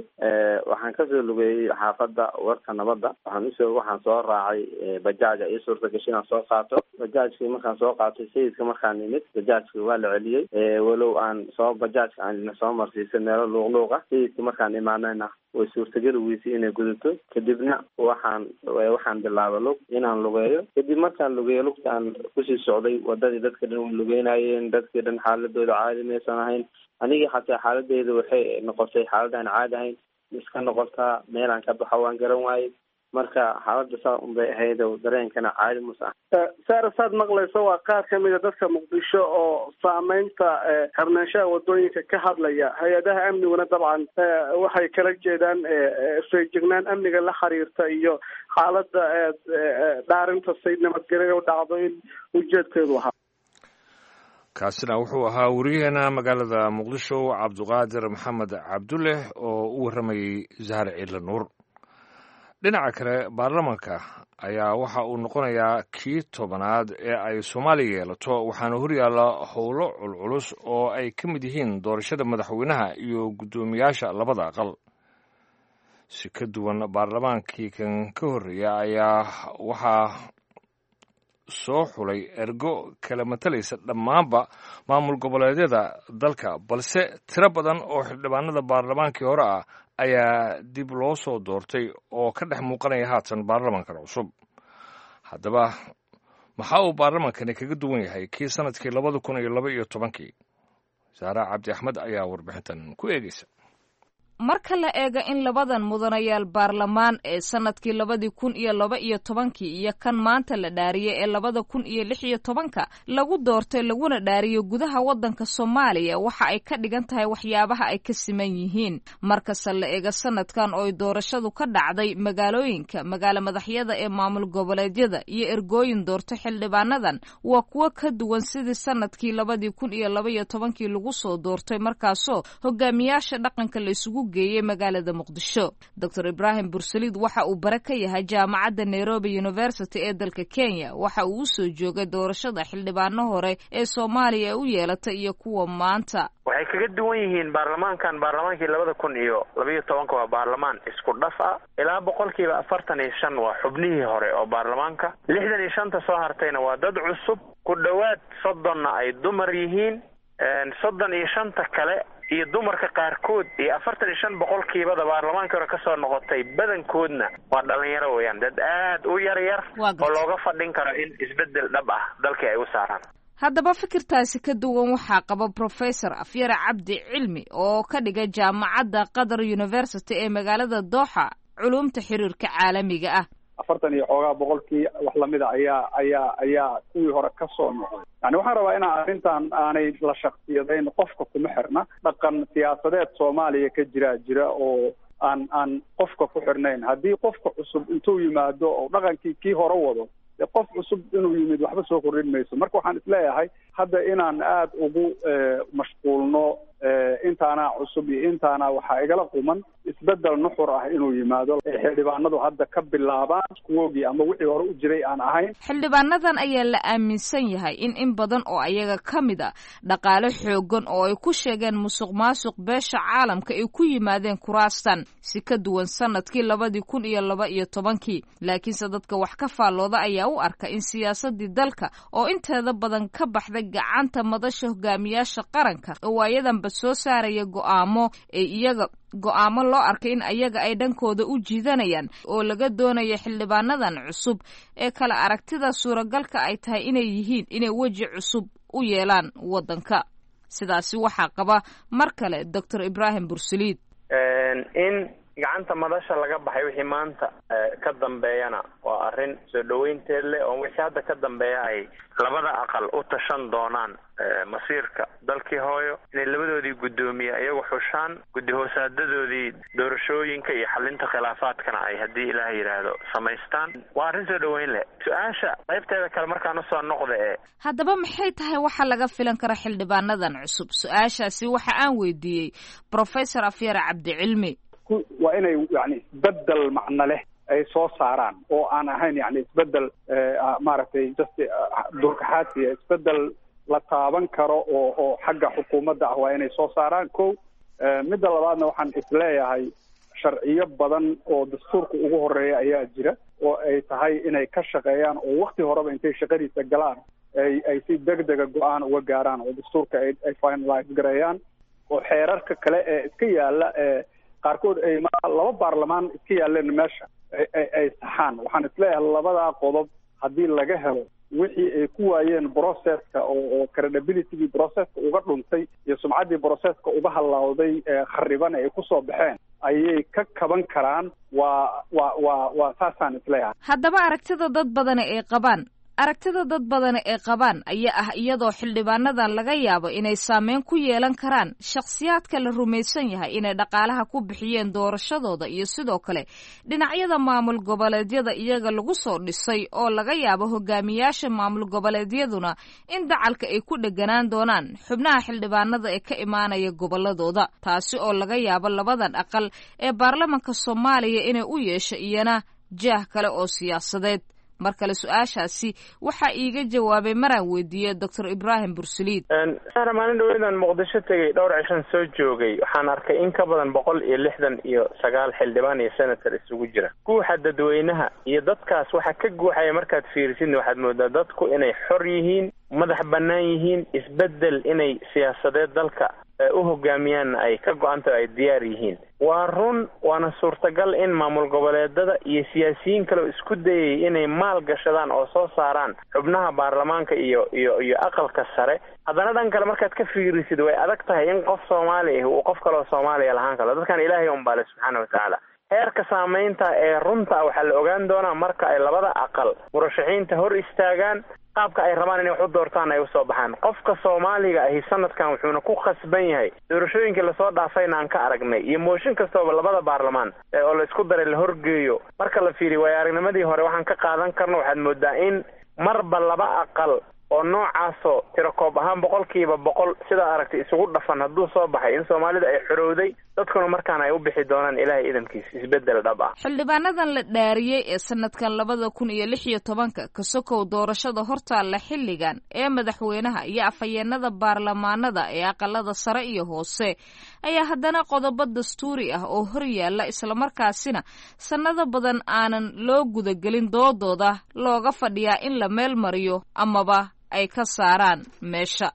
Waxaan kasoo lugeeyey xaafadda Warta Nabadda. Waxaan usoo waxaan soo raacay bajaaja, ii suurta gashay inaan soo qaato bajaajkii. Markaan soo qaatay Sayidka markaan nimid, bajaajkii waa la celiyey, walow aan soo bajaajka aan soo marsiisay meelo luuqluuq ah. Sayidka markaan imaanayna way suurtageli weysay inay gudato. Kadibna waxaan waxaan bilaabay lug inaan lugeeyo. Kadib markaan lugeeyo, lugta aan kusii socday wadadii, dadka dhan way lugeynayeen, dadkii dhan xaaladooda caadi maysan ahayn. Anigii xataa xaaladeyda waxay noqotay xaalad aan caadi ahayn iska noqotaa, meelaan ka baxo waan garan waayey. Marka xaaladda saa unbay ahayd, dareenkana caadi muus ah. Saara, saad maqlayso waa qaar kamida dadka Muqdisho oo saameynta xirnaanshaha wadooyinka ka hadlaya. Hay-adaha amniguna dabcan waxay kala jeedaan feejignaan amniga la xiriirta iyo xaaladda dhaarinta say nabadgelya u dhacdo in ujeedkeedu ahaa. Kaasina wuxuu ahaa wariyaheena magaalada Muqdisho, Cabduqaadir Maxamed Cabdulleh, oo u warramayey Zahar Ciidle Nuur. Dhinaca kale, baarlamanka ayaa waxa uu noqonayaa kii tobanaad ee ay Soomaaliya yeelato, waxaana horyaalla howlo culculus oo ay ka mid yihiin doorashada madaxweynaha iyo guddoomiyaasha labada aqal. Si ka duwan baarlamaankii kan ka horreeya ayaa waxaa soo xulay ergo kala matalaysa dhammaanba maamul goboleedyada dalka, balse tiro badan oo xildhibaanada baarlamaankii hore ah ayaa dib loo soo doortay oo ka dhex muuqanaya haatan baarlamankan cusub. Haddaba maxaa uu baarlamankani kaga duwan yahay kii sanadkii labada kun iyo laba iyo tobankii? Saara Cabdi Axmed ayaa warbixintan ku eegeysa. Marka la eego in labadan mudanayaal baarlamaan ee sanadkii labadii kun iyo laba iyo tobankii iyo kan maanta la dhaariyey ee labada kun iyo lix iyo tobanka lagu doortay laguna dhaariyo gudaha waddanka Soomaaliya, waxa ay ka dhigan tahay waxyaabaha ay ka siman yihiin. Markasta la eego sanadkan oo ay doorashadu ka dhacday magaalooyinka magaalo madaxyada ee maamul goboleedyada iyo ergooyin doorto xildhibaanadan, waa kuwo ka duwan sidii sanadkii labadii kun iyo laba iyo tobankii lagu soo doortay, markaasoo hogaamiyaasha dhaqanka la isugu geeyey magaalada Muqdisho. Doctor Ibraahim Bursaliid waxa uu bare ka yahay jaamacadda Nairobi University ee dalka Kenya. Waxa uu usoo joogay doorashada xildhibaano hore ee Soomaaliya u yeelatay iyo kuwa maanta. Waxay kaga duwan yihiin baarlamaankan baarlamaankii labada kun iyo labayo tobanka waa baarlamaan isku dhaf ah. Ilaa boqolkiiba afartan iyo shan waa xubnihii hore oo baarlamaanka, lixdan iyo shanta soo hartayna waa dad cusub, ku dhowaad soddonna ay dumar yihiin, soddon iyo shanta kale iyo dumarka qaarkood iyo afartan iyo shan boqolkiibada baarlamaankii hore kasoo noqotay badankoodna waa dhalinyaro weeyaan, dad aad u yar yar oo looga fadhin karo in isbeddel dhab ah dalkii ay u saaraan. Haddaba fikirtaasi ka duwan waxaa qaba Professor Afyare Cabdi Cilmi oo ka dhigay jaamacadda Qatar University ee magaalada Dooxa culumta xiriirka caalamiga ah. Afartan iyo xoogaa boqolkii wax lamida ayaa ayaa ayaa kuwii hore ka soo noqday. Yani waxaan rabaa inaan arrintan aanay la shaksiyadayn, qofka kuma xirna. Dhaqan siyaasadeed Soomaaliya ka jira jira oo aan aan qofka ku xirnayn. Haddii qofka cusub intuu yimaado oo dhaqankii kii hore wado, qof cusub inuu yimid waxba soo kordhin mayso. Marka waxaan isleeyahay hadda inaan aada ugu mashquulno intaanaa cusub iyo intaana waxaa igala quman isbeddel nuxur ah inuu yimaado, xildhibaanadu hadda ka bilaabaan kuwoogii ama wixii hore u jiray aan ahayn. Xildhibaanadan ayaa la aaminsan yahay in in badan oo ayaga ka mid a dhaqaale xoogan oo ay ku sheegeen musuq maasuq beesha caalamka ay ku yimaadeen kuraastan, si ka duwan sanadkii labadii kun iyo laba iyo tobankii. Laakiinse dadka wax ka faallooda ayaa u arka in siyaasadii dalka oo inteeda badan ka baxday gacanta madasha hogaamiyaasha qaranka oo waayadanba soo saaraya go'aamo ay iyaga go'aamo loo arkay in ayaga ay dhankooda u jiidanayaan, oo laga doonayo xildhibaanadan cusub ee kala aragtida suuragalka ay tahay inay yihiin inay weji cusub u yeelaan waddanka. Sidaasi waxaa qaba mar kale Doctor Ibraahim Bursaliid. In gacanta madasha laga baxay wixii maanta ka dambeeyana waa arrin soo dhaweynteed leh, oo wixii hadda ka dambeeya ay labada aqal u tashan doonaan masiirka dalkii hooyo, inay labadoodii guddoomiye iyagu xushaan, guddi hoosaadadoodii doorashooyinka iyo xalinta khilaafaadkana ay haddii ilaah yidhaahdo samaystaan. Waa arrin soo dhaweyn leh. Su-aasha qaybteeda kale markaan usoo noqda ee haddaba maxay tahay waxa laga filan kara xildhibaanadan cusub? Su-aashaasi waxa aan weydiiyey Professor Afyare Cabdicilmi. Waa inay yani isbeddel macno leh ay soo saaraan oo aan ahayn yani isbeddel maaragtay just durkaxaadsiya, isbeddel la taaban karo oo oo xagga xukuumadda ah waa inay soo saaraan. Ko midda labaadna waxaan isleeyahay sharciyo badan oo dastuurka ugu horeeya ayaa jira oo ay tahay inay ka shaqeeyaan oo wakti horeba intay shaqadiisa galaan ay ay si degdega go-aan uga gaaraan oo dastuurka ay ay finalize gareeyaan, oo xeerarka kale ee iska yaala ee qaarkood ay laba baarlamaan iska yaaleen meesha ay ay saxaan. Waxaan isleeyahay labadaa qodob haddii laga helo wixii ay ku waayeen processka oo oo credibilitygii processka uga dhuntay iyo sumcaddii processka uga hallawday khariban ay kusoo baxeen ayay ka kaban karaan. Waa waa waa waa saasaan isleeyahay. Haddaba aragtida dad badani ay qabaan aragtida dad badani ay qabaan ayaa ah iyadoo xildhibaanadan laga yaabo inay saameyn ku yeelan karaan shakhsiyaadka la rumaysan yahay inay dhaqaalaha ku bixiyeen doorashadooda iyo sidoo kale dhinacyada maamul goboleedyada iyaga lagu soo dhisay, oo laga yaabo hogaamiyaasha maamul goboleedyaduna in dacalka ay ku dheganaan doonaan xubnaha xildhibaanada ee ka imaanaya goboladooda, taasi oo laga yaabo labadan aqal ee baarlamanka Soomaaliya inay u yeesho iyana jaah kale oo siyaasadeed. Mar kale su-aashaasi waxaa iiga jawaabay maraan weydiiyey Doctor Ibraahim Bursaliid. Sara, maalin dhaweydaan Muqdisho tegey, dhowr cishan soo joogay, waxaan arkay in ka badan boqol iyo lixdan iyo sagaal xildhibaan iyo senator isugu jira. Guuxa dadweynaha iyo dadkaas waxa ka guuxaya markaad fiirisidna waxaad moodaa dadku inay xor yihiin, madax bannaan yihiin, isbeddel inay siyaasadeed dalka u hogaamiyaanna ay ka go-antaho ay diyaar yihiin. Waa run, waana suurtagal in maamul goboleedada iyo siyaasiyiin kale oo isku dayay inay maal gashadaan oo soo saaraan xubnaha baarlamaanka iyo iyo iyo aqalka sare. Haddana dhan kale markaad ka fiirisid, way adag tahay in qof Soomaali ah uu qof kaleoo Soomaaliya lahaan karo. Dadkan Ilaahay unbaale subxaana watacaala. Heerka saameynta ee runta waxaa la ogaan doonaa marka ay labada aqal murashaxiinta hor istaagaan, qaabka ay rabaan inay wax u doortaan ay usoo baxaan. Qofka Soomaaliga ahi sanadkan wuxuuna ku khasban yahay doorashooyinkii lasoo dhaafayna aan ka aragnay iyo mooshin kastooba labada baarlamaan oo la isku daray la horgeeyo. Marka la fiiriyo waayo aragnimadii hore waxaan ka qaadan karno, waxaad moodaa in marba laba aqal oo noocaasoo tirakoob ahaan boqolkiiba boqol sidaa aragtay isugu dhafan hadduu soo baxay, in Soomaalida ay xorowday, dadkuna markaan ay u bixi doonaan Ilaahay idamkiis isbeddel dhab ah. Xildhibaanadan la dhaariyey ee sanadkan labada kun iyo lix iyo tobanka kasokow doorashada hortaalla xilligan ee madaxweynaha iyo afhayeenada baarlamaanada ee aqalada sare iyo hoose ayaa haddana qodobo dastuuri ah oo hor yaalla, islamarkaasina sannado badan aanan loo gudagelin doodooda looga fadhiyaa in la meel mariyo amaba ay ka saaraan meesha.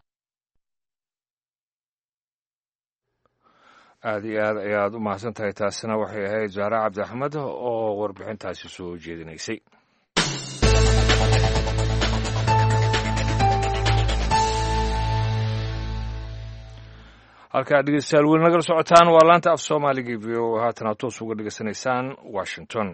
Aada iyo aad ayaad u mahadsan tahay. Taasina waxay ahayd Zahra Cabdi Axmed oo warbixintaasi soo jeedinaysay. Halkaa dhegeystayaal weli nagala socotaan waa laanta af Soomaaliga V O, haatana toos uga dhegeysanaysaan Washington.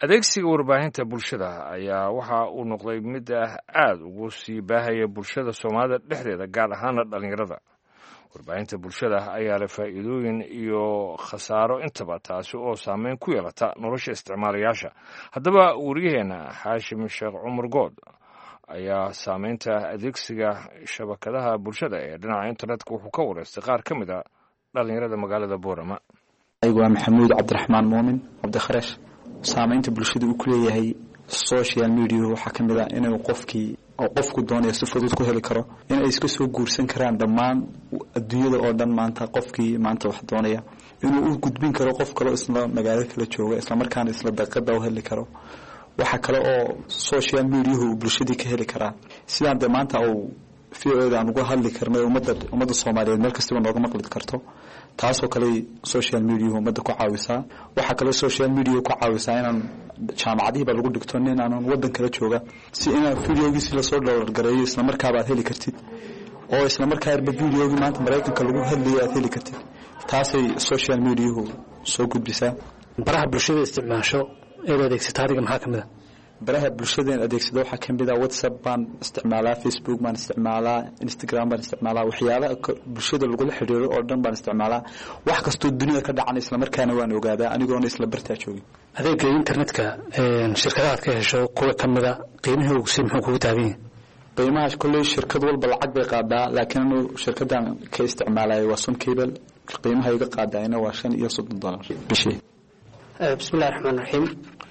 Adeegsiga warbaahinta bulshada ayaa waxa uu noqday mid ah aada ugu sii baahaya bulshada Soomaalida dhexdeeda, gaar ahaana dhallinyarada. Warbaahinta bulshada ayaa leh faa'iidooyin iyo khasaaro intaba, taasi oo saameyn ku yeelata nolosha isticmaalayaasha. Haddaba waryaheena Xaashim Sheekh Cumar Good ayaa saameynta adeegsiga shabakadaha bulshada ee dhinaca internetka wuxuu ka wareystay qaar ka mid a dhallinyarada magaalada Boorama. Waa Maxamuud Cabdiraxmaan Muumin Cabdikharesh. Saameynta bulshada uu ku leeyahay social media waxaa ka mid ah inuu qofkii oo qofku doonayo si fudud ku heli karo, inay iska soo guursan karaan dhammaan adduunyada oo dhan. Maanta qofkii maanta wax doonaya inuu u gudbin karo qof kaleo isla magaalo kala jooga, islamarkaana isla daqiiqada u heli karo. Waxaa kale oo social mediahu uu bulshadii ka heli karaa sidaan dee maanta uu V O da aan uga hadli karnay, ummadda ummadda Soomaaliyeed meel kastaba nooga maqli karto. Taasoo kale social mediahu ummadda ku caawisaa. Waxaa kaloo social media ku caawisaa inaan jaamacadihiiba lagu dhigto nin aanan waddan kala jooga si inaan videogiisi lasoo dhowrgareeyo islamarkaaba aad heli kartid, oo islamarkaaba videogii maanta Maraykanka lagu hadlayo aad heli kartid. Taasay social mediahu soo gudbisaa. Baraha bulshada isticmaasho eed adeegsata adiga maxaa ka mid a? Baraha bulshadeen adeegsada waxaa ka mid ah WhatsApp baan isticmaalaa, Facebook baan isticmaalaa, Instagram baan isticmaalaa, waxyaalaha bulshada lagula xiriiro oo dhan baan isticmaalaa. Wax kastoo dunida ka dhacan islamarkaana waan ogaadaa anigoona isla bartaa joogin. Adeega internetka shirkadaha aad ka hesho kuwa ka mid a qiimihii ugu sii muxuu kugu taagan yahay? Qiimaha kolley shirkad walba lacag bay qaadaa, laakiin anu shirkadan ka isticmaalayo waa Somcable. Qiimaha iga qaadayna waa shan iyo soddon dollar bishii. Bismillahi raxmaan raxiim.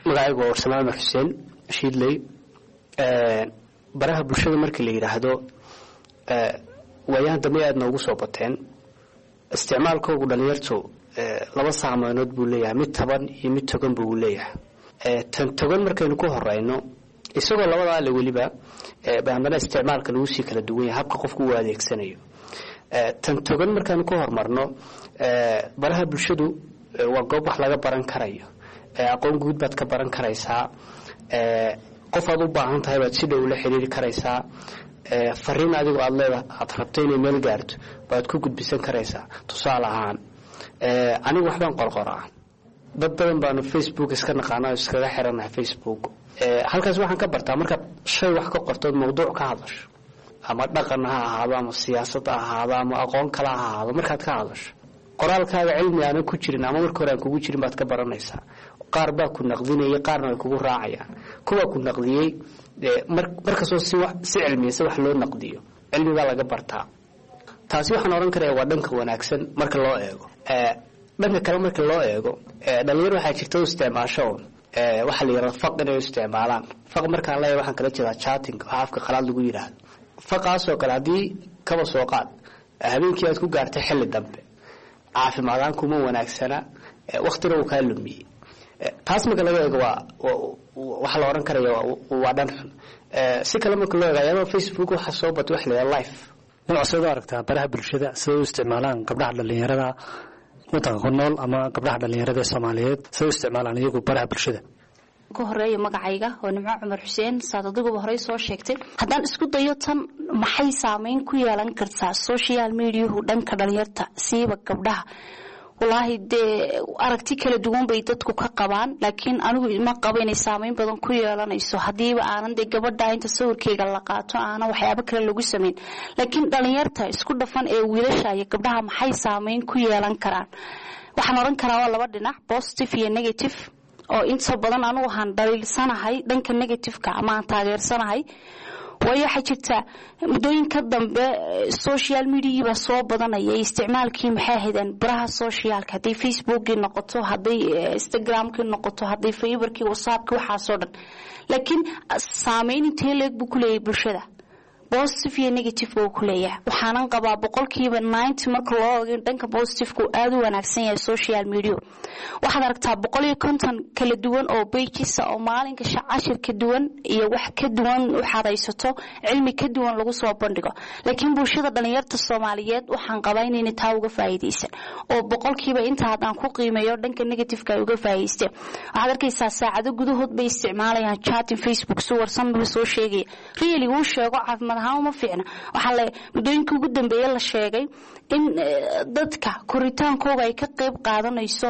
Magacaygu waa Warsamaan Umar Xuseen Shiidley. Baraha bulshada markii la yidhaahdo waayahan dambe aad noogu soo bateen. Isticmaalkoogu dhalinyartu laba saameynood buu leeyahay, mid taban iyo mid togan buu leeyahay. Tan togan markaynu ku horeyno, isagoo labadaa le weliba ba haddana isticmaalka lagu sii kala duwan yahay habka qofku uu adeegsanayo. Tan togan markaynu ku horumarno, baraha bulshadu waa goob wax laga baran karayo, aqoon guud baad ka baran karaysaa, qof aad u baahan tahay baad si dhow la xiriiri karaysaa, fariin adigoo aad leeda aad rabto inay meel gaarto baad ku gudbisan karaysaa. Tusaale ahaan anigu waxbaan qorqoraa, dad badan baanu Facebook iska naqaana oo iskaga xiranahay Facebook. Halkaas waxaan ka bartaa markaad shay wax ka qortood mawduuc ka hadasho, ama dhaqan ha ahaado ama siyaasad ha ahaado ama aqoon kale ha ahaado, markaad ka hadasho qoraalkaaga cilmi aanan ku jirin ama marka hore aan kugu jirin baad ka baranaysaa. Qaar baa ku naqdinayay, qaarna way kugu raacayaan. Kuwa ku naqdiyey markastoo si si cilmiyeysa wax loo naqdiyo cilmi baa laga bartaa. Taasi waxaan odhan karaya waa dhanka wanaagsan marka loo eego. Dhanka kale marka loo eego, dhalinyar waxaa jirta u isticmaasho waxaa la yidhahda faq inay u isticmaalaan. Faq markaan leeyahay waxaan kala jeedaa chatting, waxa afka qalaad lagu yidhaahdo. Faqaasoo kale haddii kaba soo qaad habeenkii aad ku gaartay xilli dambe, caafimaadaan kuma wanaagsana, waktina uu kaa lumiyey. Taas marka laga eego waa waxaa la odhan karaya waa dhan xun. Si kale marka loo eego ayaaba Facebook waxaa soo batay waxa la yidhaha life. Nimco, sidaad u aragtaa baraha bulshada siday u isticmaalaan gabdhaha dhallinyarada wadanka ku nool ama gabdhaha dhallinyarada ee Soomaaliyeed, siday u isticmaalaan iyagu baraha bulshada? Ka horeeya magacayga waa Nimco Cumar Xuseen. Saad adiguba horey soo sheegtay, haddaan isku dayo tan, maxay saameyn ku yeelan kartaa social mediahu dhanka dhalinyarta, siiba gabdhaha? Walaahi dee aragti kala duwan bay dadku ka qabaan, laakiin anigu ma qabo inay saameyn badan ku yeelanayso haddiiba aanan dee gabadha inta sawirkeyga la qaato aanan waxyaabo kale lagu samayn. Laakiin dhalinyarta isku dhafan ee wiilasha iyo gabdhaha maxay saameyn ku yeelan karaan? Waxaan odhan karaa waa laba dhinac, positive iyo negative, oo inta badan anugu waxaan dhaliilsanahay dhanka negativeka ama aan taageersanahay, waayo waxaa jirta muddooyinka dambe social mediagii baa soo badanaya isticmaalkii, maxay ahaydeen, baraha socialka, hadday Facebookii noqoto, hadday Instagramkii noqoto, hadday Viberkii, WhatsAppkii, waxaasoo dhan. Laakiin saameyn intee leeg buu ku leeyahay bulshada? Positive iyo negative buu ku leeyahay. Waxaanan qabaa boqolkiiba ninety marka loo eego dhanka positiveka uu aada u wanaagsan yahay social media. Waxaad aragtaa boqol iyo konton kala duwan oo pages oo maalinka cashir ka duwan iyo wax ka duwan waxaad haysato, cilmi ka duwan lagu soo bandhigo. Laakiin bulshada dhalinyarta Soomaaliyeed waxaan qabaa inayna taa uga faa'iidaysan, oo boqolkiiba inta haddaan ku qiimeeyo dhanka negativeka ay uga faa'iidaysteen. Waxaad arkaysaa saacado gudahood bay isticmaalayaan chatting Facebook, suwarsan buu soo sheegaya, really wuu sheego caafimaad ahaan uma fiicna. Waxaa la muddooyinkii ugu dambeeyey la sheegay in dadka koritaankooga ay ka qayb qaadanayso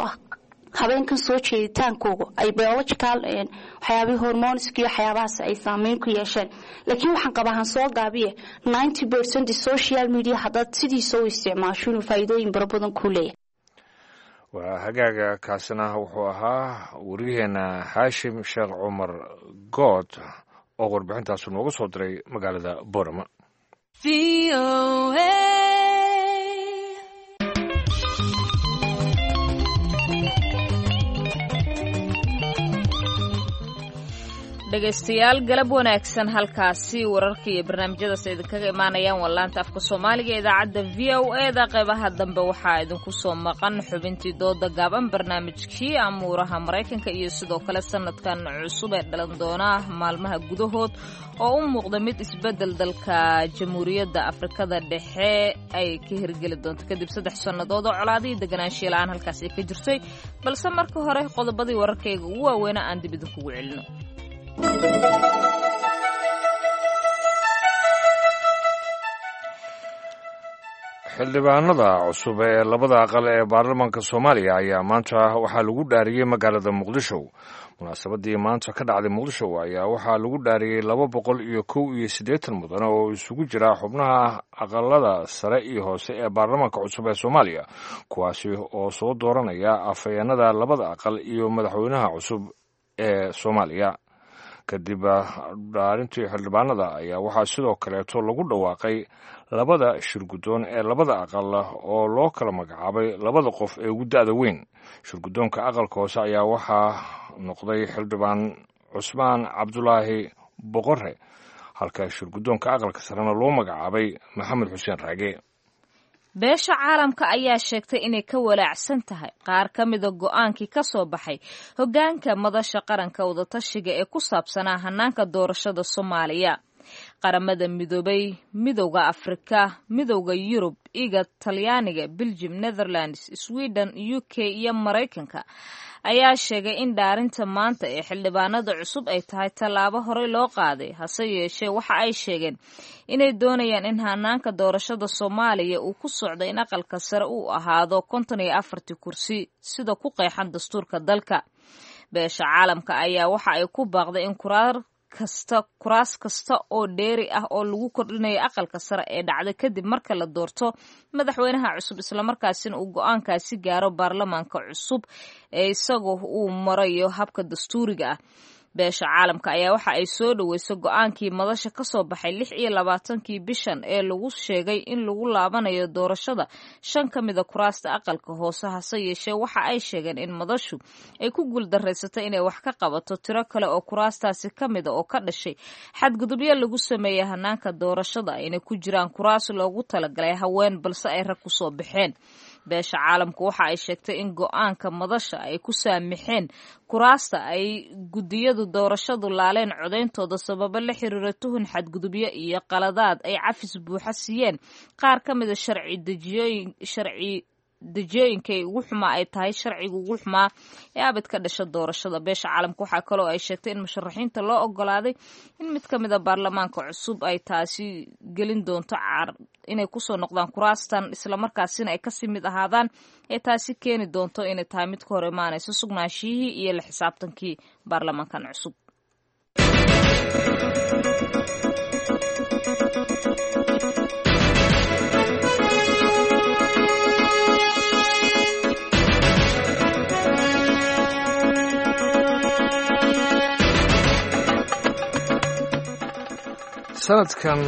habeenkan soo jeeditaankooga, ay biological waxyaabihii hormoneska iyo waxyaabahaas ay saameyn ku yeesheen. Laakiin waxaan qabaa, han soo gaabiye, ninety percent social media haddaad sidiisa u isticmaasho inuu faa'iidooyin bara badan kuu leeyahay. Waa hagaaga, kaasina wuxuu ahaa wariyaheena Haashim Sheekh Cumar Good oo warbixintaasu nooga soo diray magaalada Boorama. Dhegaystayaal, galab wanaagsan. Halkaasi wararka iyo barnaamijyadaas idinkaga imaanayaan waa laanta afka Soomaaliga idaacadda V O E da. Qeybaha dambe waxaa idinku soo maqan xubintii dooda gaaban, barnaamijkii amuuraha Maraykanka iyo sidoo kale sanadkan cusub ee dhalan doona maalmaha gudahood oo u muuqda mid isbedel dalka Jamhuuriyadda Afrikada Dhexe ay ka hirgeli doonto kadib saddex sannadood oo colaadihii deganaanshiya la-aan halkaas ay ka jirtay. Balse marka hore qodobadii wararkayga ugu waaweyna aan dib idinkugu celino. Xildhibaanada cusub ee labada aqal ee baarlamaanka Soomaaliya ayaa maanta waxaa lagu dhaariyey magaalada Muqdisho. Munaasabadii maanta ka dhacday Muqdisho ayaa waxaa lagu dhaariyey laba boqol iyo kow iyo siddeetan mudan oo isugu jira xubnaha aqalada sare iyo hoose ee baarlamaanka cusub ee Soomaaliya, kuwaasi oo soo dooranaya afhayeenada labada aqal iyo madaxweynaha cusub ee Soomaaliya. Kadib dhaarintii xildhibaanada ayaa waxaa sidoo kaleeto lagu dhawaaqay labada shirguddoon ee labada aqal oo loo kala magacaabay labada qof ee ugu da'da weyn. Shirguddoonka aqalka hoose ayaa waxaa noqday xildhibaan Cusmaan Cabdulaahi Boqore, halka shirguddoonka aqalka sarena loo magacaabay Maxamed Xuseen Raage. Beesha caalamka ayaa sheegtay inay ka walaacsan tahay qaar ka mida go'aankii ka soo baxay hoggaanka madasha qaranka wadatashiga ee ku saabsanaa hanaanka doorashada Soomaaliya. Qaramada Midoobay, Midowda Afrika, Midowda Yurub, IGAD, Talyaaniga, Beljim, Netherlands, Sweden, U K iyo Maraykanka ayaa sheegay in dhaarinta maanta ee xildhibaanada cusub ay tahay tallaabo horey loo qaaday. Hase yeeshee waxa ay sheegeen inay doonayaan in hanaanka doorashada Soomaaliya uu ku socdo in aqalka sare uu ahaado konton iyo afartii kursi sida ku qeexan dastuurka dalka. Beesha caalamka ayaa waxa ay ku baaqday in kuraar kasta kuraas kasta oo dheeri ah oo lagu kordhinayo aqalka sare ee dhacda kadib marka la doorto madaxweynaha cusub, islamarkaasina uu go-aankaasi gaaro baarlamaanka cusub ee isagoo uu marayo habka dastuuriga ah. Beesha caalamka ayaa waxa ay soo dhaweysay go-aankii madasha ka soo baxay lix iyo labaatankii bishan ee lagu sheegay in lagu laabanayo doorashada shan ka mida kuraasta aqalka hoose. Hase yeeshee waxa ay sheegeen in madashu ay ku guuldareysatay inay wax ka qabato tiro kale oo kuraastaasi ka mida oo ka dhashay xadgudubyo lagu sameeyey hanaanka doorashada, ayna ku jiraan kuraas loogu talagalay haween balse ay rag kusoo baxeen. Beesha caalamku waxa ay sheegtay in go-aanka madasha ay ku saamixeen kuraasta ay guddiyadu doorashadu laaleen codeyntooda sababo la xiriira tuhun xadgudubyo iyo qaladaad ay cafis buuxa siiyeen qaar ka mida sharci dejiyooyin sharci dejiyooyinkay ugu xumaa ay tahay sharciga ugu xumaa ee abid ka dhasha doorashada. Beesha caalamka waxaa kaloo ay sheegtay in musharaxiinta loo ogolaaday in mid ka mid a baarlamaanka cusub ay taasi gelin doonto caar inay kusoo noqdaan kuraastan islamarkaasina ay kasii mid ahaadaan ee taasi keeni doonto inay tahay mid ka hor imaanaysa sugnaanshihii iyo la xisaabtankii baarlamaankan cusub. Sanadkan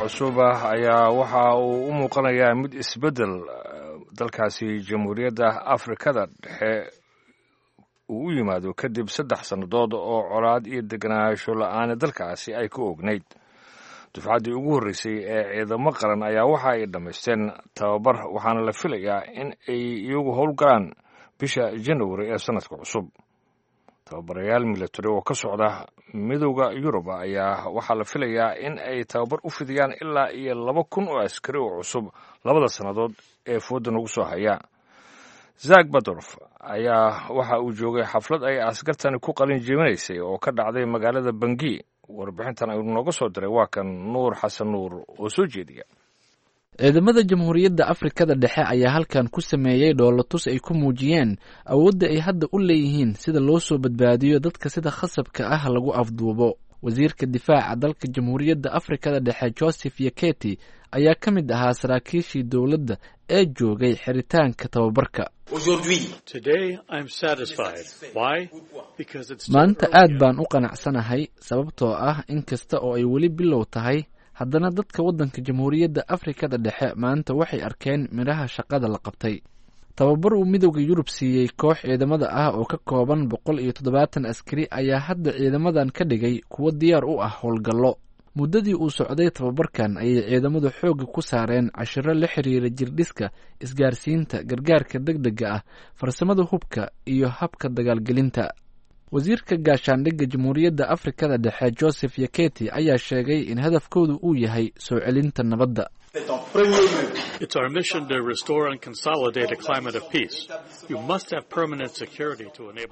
cusub ayaa waxa uu u muuqanayaa mid isbeddel dalkaasi Jamhuuriyadda Afrikada Dhexe uu u yimaado kadib saddex sannadood oo colaad iyo degenaansho la-aana dalkaasi ay ka ognayd. Dufcaddii ugu horreysay ee ciidamo qaran ayaa waxa ay dhammaysteen tababar, waxaana la filayaa in ay iyagu howlgalaan bisha Januari ee sanadka cusub. Tababarayaal milatari oo ka socda Midowda Yurub ayaa waxaa la filayaa in ay tababar u fidiyaan ilaa iyo laba kun oo askari oo cusub labada sannadood ee fooda nagu soo haya. Zak Badorf ayaa waxa uu joogay xaflad ay askartani ku qalin jebinaysay oo ka dhacday magaalada Bangi. Warbixintan ayuu nooga soo diray, waa kan Nuur Xasan Nuur oo soo jeediya. Ciidamada Jamhuuriyadda Afrikada Dhexe ayaa halkan ku sameeyey dhoolatus ay ku muujiyeen awoodda ay hadda u leeyihiin sida loo soo badbaadiyo dadka sida khasabka ah lagu afduubo. Wasiirka difaaca dalka Jamhuuriyadda Afrikada Dhexe Joseph Yaketi ayaa ka mid ahaa saraakiishii dowladda ee joogay xiritaanka tababarka. Maanta aad baan u qanacsanahay, sababtoo ah in kasta oo ay weli bilow tahay, haddana dadka waddanka Jamhuuriyadda Afrikada Dhexe maanta waxay arkeen midhaha shaqada la qabtay. Tababar uu Midowda Yurub siiyey koox ciidamada ah oo ka kooban boqol iyo toddobaatan askari ayaa hadda ciidamadan ka dhigay kuwo diyaar u ah howlgallo. Muddadii uu socday tababarkan ayay ciidamadu xoogga ku saareen cashiro la xiriira jirdhiska, isgaarsiinta, gargaarka degdega ah, farsamada hubka iyo habka dagaalgelinta. Wasiirka gaashaandhigga Jamhuuriyadda Afrikada Dhexe Joseph Yaketi ayaa sheegay in hadafkoodu uu yahay soo celinta nabadda.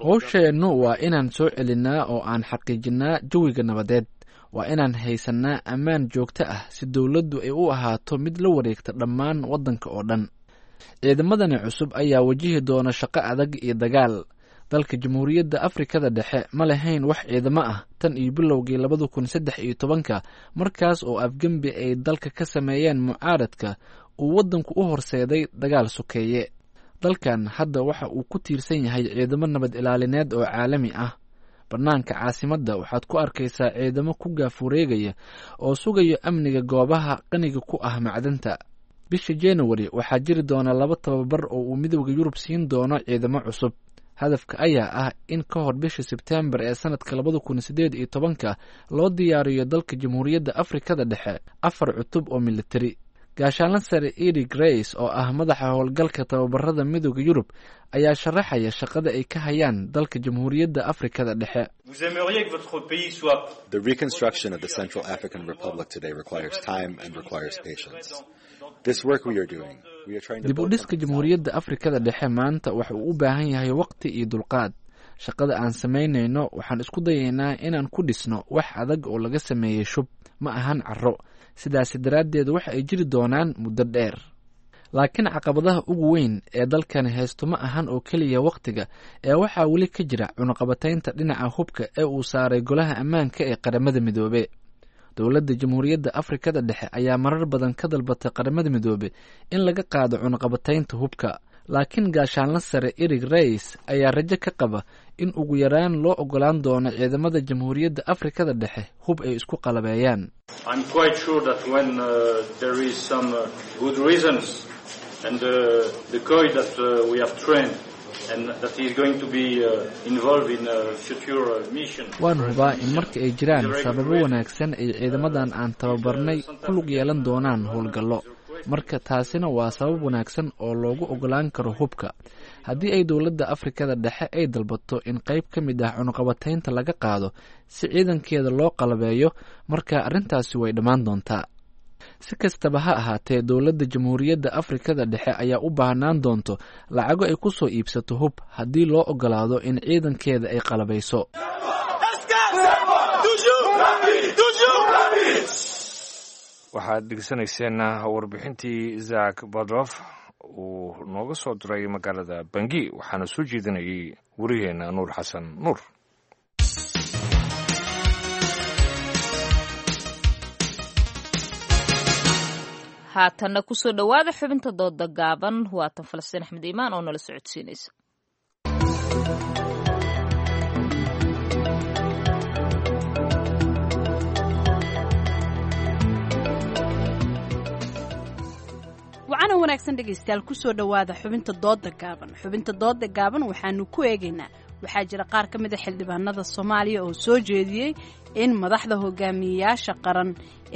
Howsheennu waa inaan soo celinnaa oo aan xaqiijinnaa jawiga nabadeed. Waa inaan haysannaa ammaan joogto ah si dowladdu ay u ahaato mid la wareegta dhammaan waddanka oo dhan. Ciidamadani cusub ayaa wajihi doona shaqo adag iyo dagaal. Dalka Jamhuuriyadda Afrikada Dhexe ma lahayn wax ciidamo ah tan iyo bilowgii labada kun saddex iyo tobanka, markaas oo afgembi ay dalka ka sameeyeen mucaaradka uu waddanku u horseeday dagaal sokeeye. Dalkan hadda waxa uu ku tiirsan yahay ciidamo nabad ilaalineed oo caalami ah. Bannaanka caasimadda waxaad ku arkaysaa ciidamo ku gaafureegaya oo sugaya amniga goobaha qaniga ku ah macdanta. Bisha Januari waxaa jiri doona laba tababar oo uu Midowda Yurub siin doono ciidamo cusub. Hadafka ayaa ah in ka hor bisha Sebtembar ee sanadka labada kun sideed iyo tobanka loo diyaariyo dalka Jamhuuriyadda Afrikada Dhexe afar cutub oo militari. Gaashaanla sare Edi Grace oo ah madaxa howlgalka tababarada Midowda Yurub ayaa sharaxaya shaqada ay ka hayaan dalka Jamhuuriyadda Afrikada Dhexe. Dib u dhiska Jamhuuriyadda Afrikada Dhexe maanta waxa uu u baahan yahay waqti iyo dulqaad. Shaqada aan samaynayno waxaan isku dayaynaa inaan ku dhisno wax adag oo laga sameeyey shub, ma ahan carro. Sidaasi daraaddeed waxa ay jiri doonaan muddo dheer. Laakiin caqabadaha ugu weyn ee dalkani haysto ma ahan oo keliya wakhtiga, ee waxaa weli ka jira cunaqabataynta dhinaca hubka ee uu saaray Golaha Ammaanka ee Qaramada Midoobe. Dowladda Jamhuuriyadda Afrikada Dhexe ayaa marar badan ka dalbatay Qaramada Midoobe in laga qaado cunaqabataynta hubka, laakiin gaashaanla sare Erig Rays ayaa rajo ka qaba in ugu yaraan loo ogolaan doono ciidamada Jamhuuriyadda Afrikada Dhexe hub ay isku qalabeeyaan. Waan hubaa in marka ay jiraan sababo wanaagsan ay ciidamadan aan tababarnay ku lug yeelan doonaan howlgallo. Marka taasina waa sabab wanaagsan oo loogu ogolaan karo hubka. Haddii ay dowladda Afrikada Dhexe ay dalbato in qayb ka mid ah cunuqabataynta laga qaado si ciidankeeda loo qalabeeyo, marka arrintaasi way dhammaan doontaa. Si kastaba ha ahaatee, dowladda Jamhuuriyadda Afrikada Dhexe ayaa u baahnaan doonto lacago ay ku soo iibsato hub haddii loo ogolaado in ciidankeeda ay qalabayso. Waxaad dhegeysanayseen warbixintii Zak Badrof uu nooga soo diray magaalada Bangi, waxaana soo jeedinayay warigeena Nuur Xasan Nuur. Haatanna kusoo dhowaada xubinta dooda gaaban. Waatan Falastiin Axmed Iimaan oo nala socodsiinaysa. Wacana wanaagsan dhegaystayaal, kusoo dhowaada xubinta dooda gaaban. Xubinta dooda gaaban waxaanu ku eegaynaa, waxaa jira qaar ka mid a xildhibaanada Soomaaliya oo soo jeediyey in madaxda hogaamiyeyaasha qaran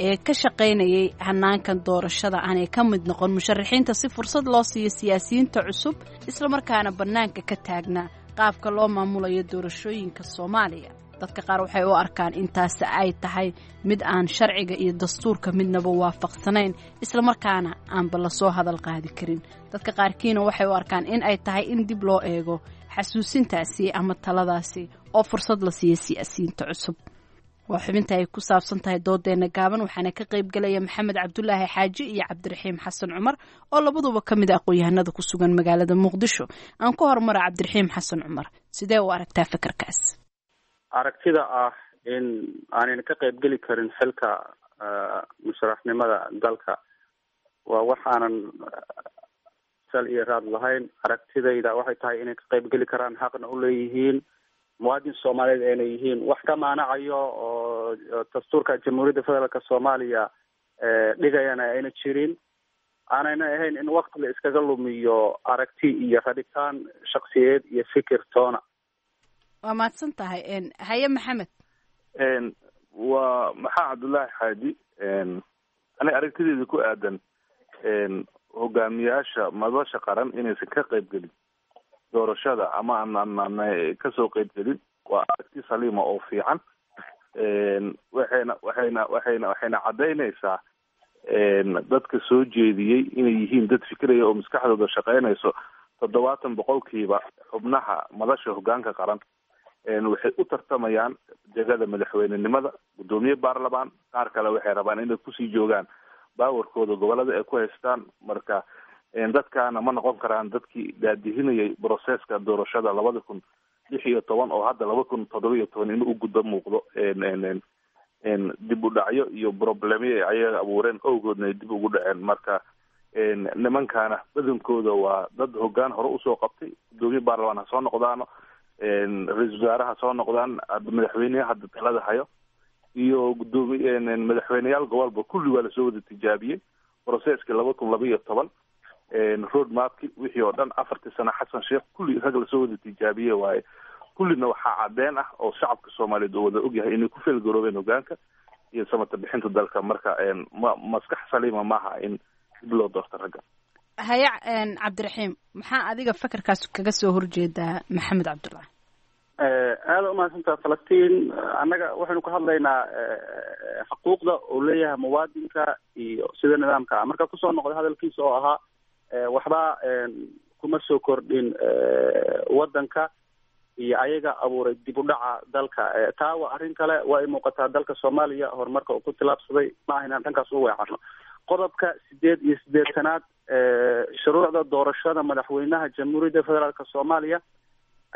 ee ka shaqaynayay hanaankan doorashada aanay ka mid noqon musharaxiinta, si fursad loo siiyo siyaasiyiinta cusub islamarkaana bannaanka ka taagnaa qaabka loo maamulayo doorashooyinka Soomaaliya. Dadka qaar waxay u arkaan intaasi ay tahay mid aan sharciga iyo dastuurka midnaba waafaqsanayn, islamarkaana aanba lasoo hadal qaadi karin. Dadka qaarkiina waxay u arkaan in ay tahay in dib loo eego xasuusintaasi ama taladaasi oo fursad la siiyo siyaasiyiinta cusub. Waa xubinta ay ku saabsan tahay doodeena gaaban, waxaana ka qayb galaya Maxamed Cabdulaahi Xaaji iyo Cabdiraxiim Xasan Cumar oo labaduba ka mid a aqoon-yahanada ku sugan magaalada Muqdisho. Aan ku horumara Cabdiraxiim Xasan Cumar, sidee u aragtaa fikirkaas? Aragtida ah in aanayna ka qayb geli karin xilka musharaxnimada dalka waa wax aanan sal iyo raad lahayn. Aragtidayda waxay tahay inay ka qayb geli karaan, xaqna u leeyihiin, muwaadin Soomaaliyeed ayna yihiin. Wax ka maanacayo oo dastuurka Jamhuuriyadda Federaalka Soomaaliya dhigayana ayna jirin, aanayna ahayn in wakti la iskaga lumiyo aragti iyo rabitaan shaksiyeed iyo fikir toona. Waa mahadsan tahay. Haye Maxamed. Waa Maxaa Cabdullaahi Xaaji. Ani aragtideeda ku aadan hogaamiyaasha madasha qaran inaysan ka qayb gelin doorashada ama aan kasoo qayb gelin waa aragti saliima oo fiican. Waxayna waxayna waxayna waxayna caddaynaysaa dadka soo jeediyey inay yihiin dad fikiraya oo maskaxdooda shaqeynayso. Toddobaatan boqolkiiba xubnaha madasha hogaanka qaran waxay u tartamayaan jegada madaxweynenimada, guddoomiye baarlamaan, qaar kale waxay rabaan inay kusii joogaan baawarkooda gobolada ay ku haystaan. Marka dadkaana ma noqon karaan dadkii daadihinayay broseska doorashada labada kun lix iyo toban oo hadda laba kun toddoba iyo toban inuu u gudbo muuqdo dib u dhacyo iyo problemyo ay ayaga abuureen awgoodna ay dib ugu dhaceen. Marka nimankaana badankooda waa dad hogaan hore usoo qabtay, guddoomiye baarlamaan ha soo noqdaano, ra-iisul wasaare ha soo noqdaan, madaxweyneha hadda talada hayo iyo gudoomiye madaxweyneyaal gobolba kulli waa lasoo wada tijaabiyey processkii laba kun laba iyo toban road mapki wixii oo dhan afartii sano Xasan Sheekh kulli rag lasoo wada tijaabiyey waaye. Kullina waxaa cadeen ah oo shacabka Soomaaliyeed oo wada ogyahay inay ku feelgaroobeen hogaanka iyo samata bixinta dalka. Marka ma maskax saliima maaha in dib loo doorto ragga. Haya Cabdiraxiim, maxaa adiga fakarkaas kaga soo horjeedaa Maxamed Cabdullaahi? Aada umahadsantaha Falastiin. Annaga waxaynu ka hadlaynaa xuquuqda uu leeyahay muwaadinka iyo sida nidaamka ah. Marka kusoo noqday hadalkiisa oo ahaa waxba kuma soo kordhin wadanka iyo ayaga abuuray dib u dhaca dalka, taa waa arrin kale. Waa ay muuqataa dalka Soomaaliya horumarka uu ku tilaabsaday, ma aha inaan dhankaas u weecarno. Qodobka sideed iyo siddeetanaad shuruucda doorashada madaxweynaha Jamhuuriyadda Federaalka Soomaaliya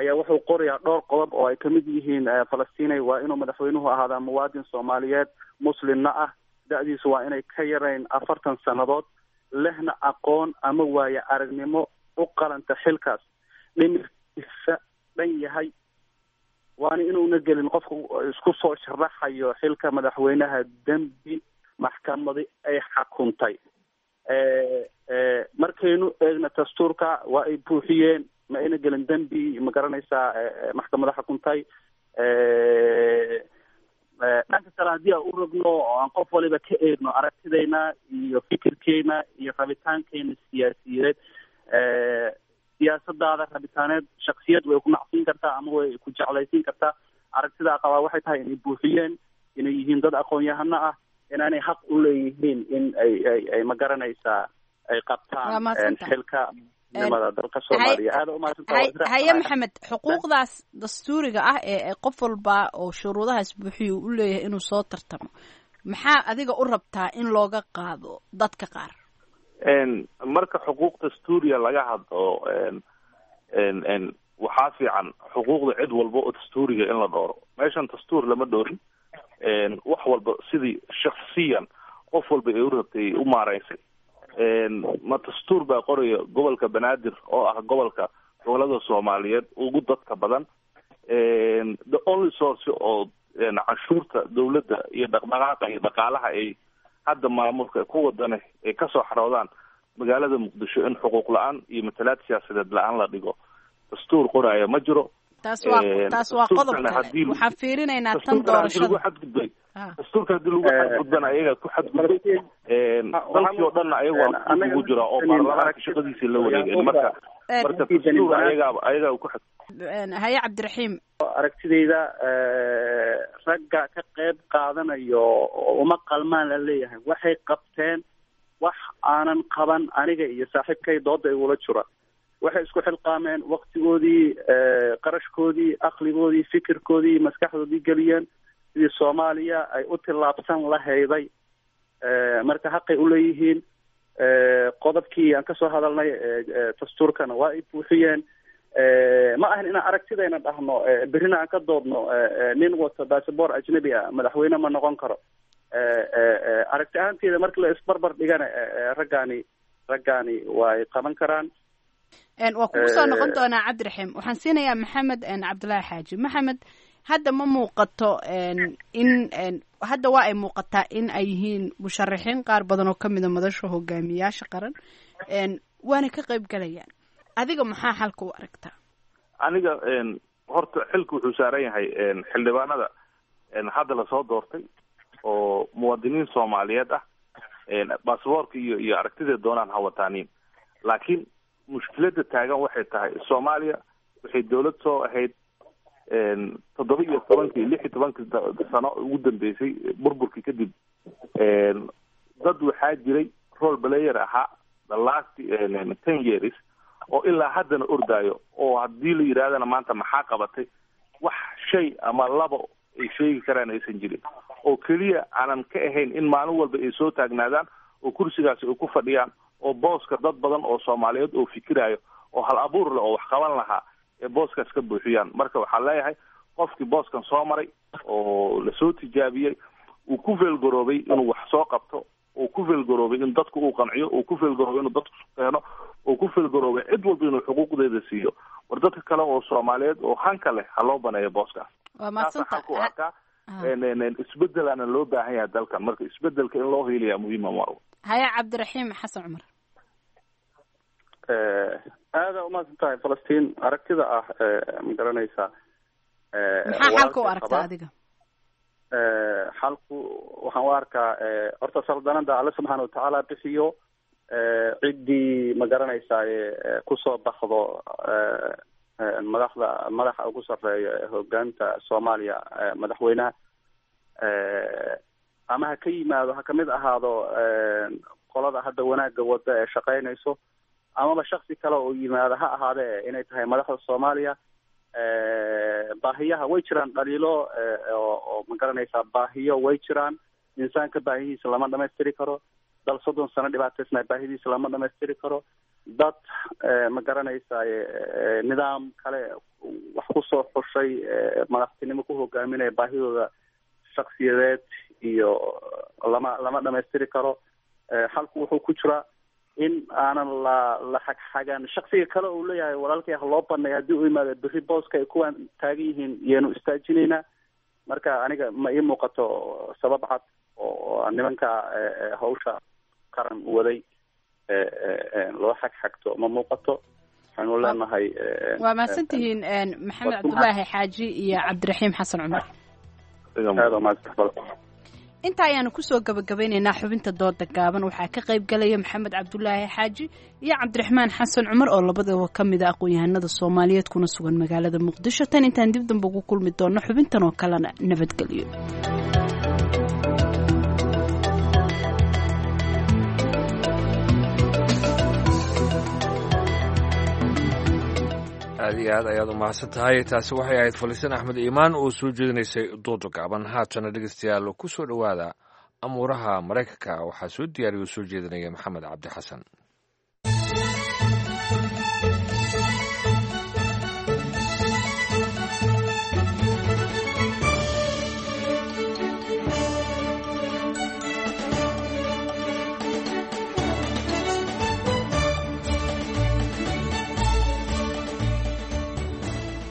ayaa wuxuu qorayaa dhowr qodob oo ay kamid yihiin Falastinay waa inuu madaxweynuhu ahaadaa muwaadin Soomaaliyeed, muslimna ah, da-diisu waa inay ka yarayn afartan sannadood, lehna aqoon ama waayo aragnimo u qalanta xilkaas, dhimirkiisa dhan yahay, waana inuuna gelin qofku isku soo sharaxayo xilka madaxweynaha dembi maxkamadi ay xakuntay. Markaynu eegna dastuurka waa ay buuxiyeen, ma ayna gelin dembi, ma garanaysaa, maxkamada xukuntay. Dhanka kale haddii aan u rogno oo aan qof waliba ka eegno aragtidayna iyo fikirkeena iyo rabitaankeena siyaasiyeed, siyaasadaada rabitaaneed shaksiyad way ku nacsiin kartaa ama way ku jeclaysiin kartaa. Aragtidaa qabaa waxay tahay inay buuxiyeen, inay yihiin dad aqoon-yahano ah, inaanay xaq u leeyihiin in ay ay ay ma garanaysaa ay qabtaan xilka nimada dalka Soomaaliya. Aad u mahadsantahay. Haye Maxamed, xuquuqdaas dastuuriga ah ee qof walba oo shuruudahaas buuxiyo u leeyahay inuu soo tartamo, maxaa adiga u rabtaa in looga qaado dadka qaar? Marka xuquuq dastuuriya laga hadlo, waxaa fiican xuquuqda cid walba oo dastuuriga in la dhooro. Meeshan dastuur lama dhoorin, wax walba sidii shaksiyan qof walba ay u rabtay u maareysay. Ma dastuur baa qoraya gobolka Banaadir oo ah gobolka gobolada Soomaaliyeed ugu dadka badan, the only source oo canshuurta dawladda iyo dhaqdhaqaaqa iyo dhaqaalaha ay hadda maamulka ku wadane ay kasoo xaroodaan magaalada Muqdisho, in xuquuq la-aan iyo matalaad siyaasadeed la-aan la dhigo, dastuur qoraya ma jiro. Taas waa taas waa qodob kale, waxaan fiirinaynaa tan doorashada. Lagu xadgudbay dastuurka, haddii lagu xadgudbana ayagaa ku xadgudbay, dalkii oo dhanna ayaga waa ugu jira oo baarlamaanka shaqadiisii la wareegeen. Marka marka dastuur ayagaa ayagaa ku xad Haye Cabdiraxiim. Aragtidayda, ragga ka qayb qaadanayo uma qalmaan la leeyahay, waxay qabteen wax aanan qaban aniga iyo saaxiibkay dooda igula jira. Waxay isku xilqaameen waktigoodii, qarashkoodii, aqligoodii, fikirkoodii, maskaxdoodii geliyeen sidii Soomaaliya ay u tillaabsan lahayday. Marka xaqay uleeyihiin. Qodobkii aan kasoo hadalnay dastuurkana waa ay buuxiyeen. Ma ahan inaan aragtidayna dhahno berrina aan ka doodno nin wato basaboor ajnabi ah madaxweyne ma noqon karo. Aragti ahaanteeda marka la isbarbar dhigana, raggaani raggaani way qaban karaan. Waa kugu soo noqon doonaa Cabdiraxiim. Waxaan siinayaa Maxamed Cabdulaahi Xaaji. Maxamed, hadda ma muuqato in hadda waa ay muuqataa in ay yihiin musharaxiin qaar badan oo kamida madasha hogaamiyaasha qaran, waana ka qayb galayaan. Adiga maxaa xalka u aragtaa? Aniga horta xilka wuxuu saaran yahay xildhibaanada hadda lasoo doortay oo muwaadiniin Soomaaliyeed ah, basaboorka iyo iyo aragtida doonaan ha wataaniin, laakiin mushkiladda taagan waxay tahay Soomaaliya waxay dawlad soo ahayd toddoba iyo tobankii lix iyo tobankii sano ugu dambeysay burburkii kadib. Dad waxaa jiray role player ahaa the last ten years oo ilaa haddana ordaayo, oo haddii la yidhahdana maanta maxaa qabatay, wax shay ama labo ay sheegi karaan aysan jirin, oo keliya aanan ka ahayn in maalin walba ay soo taagnaadaan oo kursigaasi ay ku fadhiyaan, oo booska dad badan oo Soomaaliyeed oo fikiraayo oo hal abuur leh oo wax qaban lahaa ee booskaas ka buuxiyaan. Marka waxaan leeyahay qofkii booskan soo maray oo lasoo tijaabiyey, uu ku feelgaroobay inuu wax soo qabto, uu ku feelgaroobay in dadku uu qanciyo, uu ku feelgaroobay inuu dadku keeno, uu ku feelgaroobay cid walba inuu xuquuqdeeda siiyo, war dadka kale oo Soomaaliyeed oo hanka leh ha loo baneeyo booskaas. Waa mahadsanta. Ku arkaa isbedelaana loo baahan yahay dalkan, marka isbedelka in loo hiiliyaa muhiima mar. Haya Cabdiraxiim Xasan Cumar. Aada umahadsan tahay Falastiin. Aragtida ah ma garanaysaa, maxaa xalka u aragtaa adiga? Xalku waxaan u arkaa horta saldanada Alle subxaana watacaala bixiyo, ciddii ma garanaysaa kusoo baxdo madaxda madaxa ugu sarreeya hogaanta Soomaaliya, madaxweynaha ama ha ka yimaado, ha kamid ahaado qolada hadda wanaagga wada ee shaqaynayso, amaba shaksi kale oo yimaado ha ahaadee, inay tahay madaxda Soomaaliya. Baahiyaha way jiraan, dhaliilo oo ma garanaysaa baahiyo way jiraan. Insaanka baahihiisa lama dhamaystiri karo, dal soddon sano dhibaataysnaa baahidiisa lama dhamaystiri karo, dad ma garanaysaa nidaam kale wax kusoo xushay madaxtinimo ku hogaaminaya baahidooda shaksiyadeed iyo lama lama dhamaystiri karo. Xalku wuxuu ku jiraa in aanan la la xagxagan shaksiga kale uu leeyahay walaalkay ha loo baneeyo haddii uu yimaado berri booska ay kuwaan taagan yihiin yeenu istaajinaynaa. Marka aniga ma ii muuqato sabab cad oo nimanka hawsha qaran waday loo xagxagto, ma muuqato. Waxaanu leenahay waa mahadsantihiin Maxamed Cabdulaahi Xaaji iyo Cabdiraxiim Xasan Cumar. Aad waa mahadsan. Inta ayaanu kusoo gabagabeynaynaa xubinta dooda gaaban. Waxaa ka qayb galaya Maxamed Cabdulaahi Xaaji iyo Cabdiraxmaan Xasan Cumar oo labadaba ka mid a aqoon-yahanada Soomaaliyeed kuna sugan magaalada Muqdisho. Tan intaan dib dambe ugu kulmi doono xubintan oo kalena, nabadgelyo. Aad iyo aad ayaad u mahadsan tahay. Taasi waxay ahayd Falisan Axmed Iimaan oo soo jeedinaysay dooda gaaban. Haatana dhegeystayaal, ku soo dhowaada amuuraha Maraykanka. Waxaa soo diyaariya oo soo jeedinaya Maxamed Cabdi Xasan.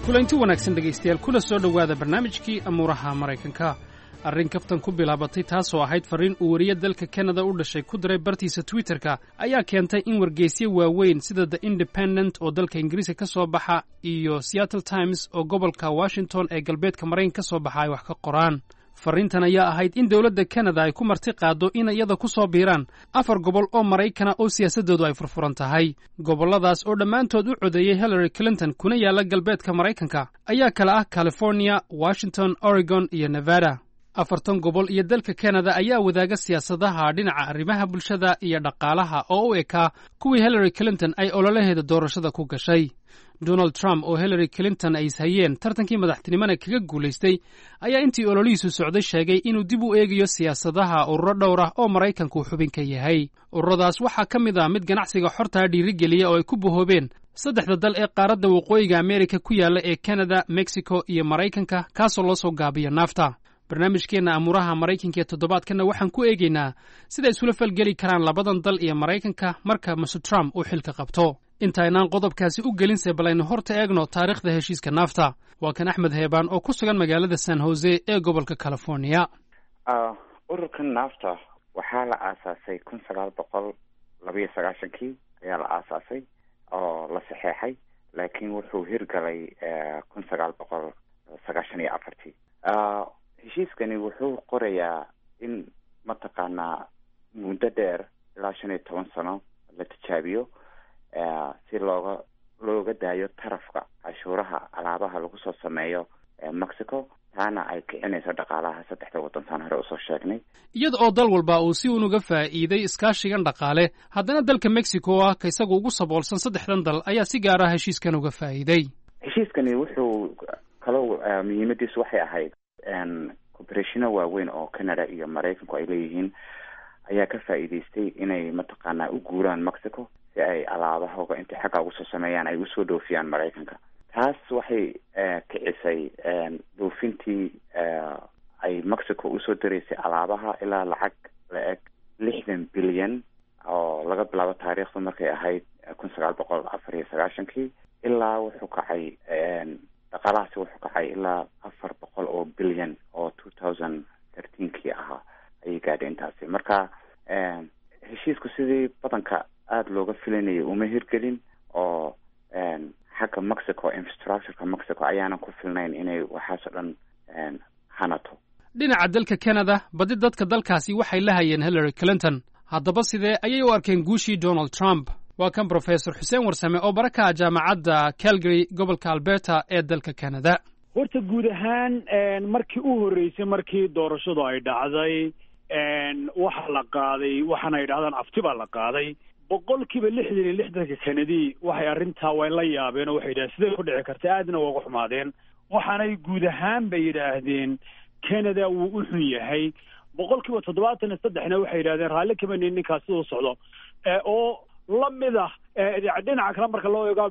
Kulanti wanaagsan dhegaystayaal, kula soo dhowaada barnaamijkii amuuraha Maraykanka. Arrin kaftan ku bilaabatay, taasoo ahayd farriin uu weriye dalka Kanada u dhashay ku diray bartiisa Twitterka, ayaa keentay in wargeysyo waaweyn sida The Independent oo dalka Ingiriiska ka soo baxa iyo Seattle Times oo gobolka Washington ee galbeedka Maraykanka ka soo baxa ay wax ka qoraan. Farriintan ayaa ahayd in dowladda Kanada ay ku marti qaaddo in iyada ku soo biiraan afar gobol oo Maraykana oo siyaasaddoodu ay furfuran tahay. Gobolladaas oo dhammaantood u codeeyey Hillary Clinton kuna yaalla galbeedka Maraykanka ayaa kala ah California, Washington, Oregon iyo Nevada. Afartan gobol iyo dalka Kanada ayaa wadaaga siyaasadaha dhinaca arrimaha bulshada iyo dhaqaalaha oo u ekaa kuwii Hillary Clinton ay ololaheeda doorashada ku gashay. Donald Trump oo Hillary Clinton ay ishayeen tartankii madaxtinimona kaga guulaystay ayaa intii ololihiisu socday sheegay inuu dib u eegayo siyaasadaha ururo dhowr ah oo Maraykanku xubin ka yahay. Ururadaas waxaa ka mid ah mid ganacsiga xortaa dhiirigeliya oo ay ku bohoobeen saddexda dal ee qaaradda waqooyiga Ameerika ku yaalla ee Kanada, Mexico iyo Maraykanka, kaasoo loo soo gaabiyo NAFTA. Barnaamijkeenna amuuraha Maraykanka ee toddobaadkanna waxaan ku eegaynaa sida isula falgeli karaan labadan dal iyo Maraykanka marka Mister Trump uu xilka qabto. Intaynaan qodobkaasi u gelinse, balaynu horta eegno taariikhda heshiiska NAFTA. Waa kan Axmed Heebaan oo ku sugan magaalada San Jose ee gobolka California. Ururkan NAFTA waxaa la aasaasay kun sagaal boqol labayo sagaashankii ayaa la aasaasay oo la saxeexay, laakiin wuxuu hirgalay kun sagaal boqol sagaashan iyo afartii. Heshiiskani wuxuu qorayaa in mataqaanaa muddo dheer ilaa shan iyo toban sano la tijaabiyo si looga looga daayo tarafka cashuuraha alaabaha lagu soo sameeyo Mexico, taana ay kicinayso dhaqaalaha saddexda waddan saan hore usoo sheegnay. Iyada oo dal walba uu si uun uga faa'iiday iskaashigan dhaqaale, haddana dalka Mexico oo ah ka isagu ugu saboolsan saddexdan dal ayaa si gaar ah heshiiskan uga faa'iiday. Heshiiskani wuxuu kaloo muhiimadiisu waxay ahayd corporationo waaweyn oo Canada iyo Maraykanku ay leeyihiin ayaa ka faa'iidaystay inay mataqaanaa u guuraan Mexico si ay alaabahooga intay xagga ugu soo sameeyaan ay usoo dhoofiyaan Maraykanka. Taas waxay kicisay dhoofintii ay Mexico usoo diraysay alaabaha ilaa lacag la eg lixdan bilyan oo laga bilaabo taariikhdu markay ahayd kun sagaal boqol afar iyo sagaashankii ilaa wuxuu kacay dhaqaalahaasi wuxuu kacay ilaa afar boqol oo bilyan oo two thousand thirteenkii ahaa ayay gaadhay intaasi. Marka heshiisku sidii badanka aada looga filanayay uma hirgelin oo xagga Mexico infrastructureka Mexico ayaanan ku filnayn inay waxaasoo dhan hanato. Dhinaca dalka Canada, badi dadka dalkaasi waxay la hayeen Hillary Clinton. Haddaba sidee ayay u arkeen guushii Donald Trump? Waa kan Brofesor Xuseen Warsame oo bara ka ah jaamacadda Calgary, gobolka Alberta ee dalka Canada. Horta guud ahaan markii u horreysay markii doorashadu ay dhacday waxa la qaaday waxaana ay dhahdaan afti baa la qaaday. Boqolkiiba lixdan iyo lixdanka Kanadi waxay arrintaa way la yaabeen oo waxay yidhahdeen sidee ku dhici karta, aadna waa uga xumaadeen. Waxaanay guud ahaan bay yidhaahdeen Canada wuu u xun yahay. Boqolkiiba toddobaatan iyo saddexna waxay yidhahdeen raalli kama nihin ninkaas siduu socdo oo la mid ah. Dhinaca kale marka loo eego,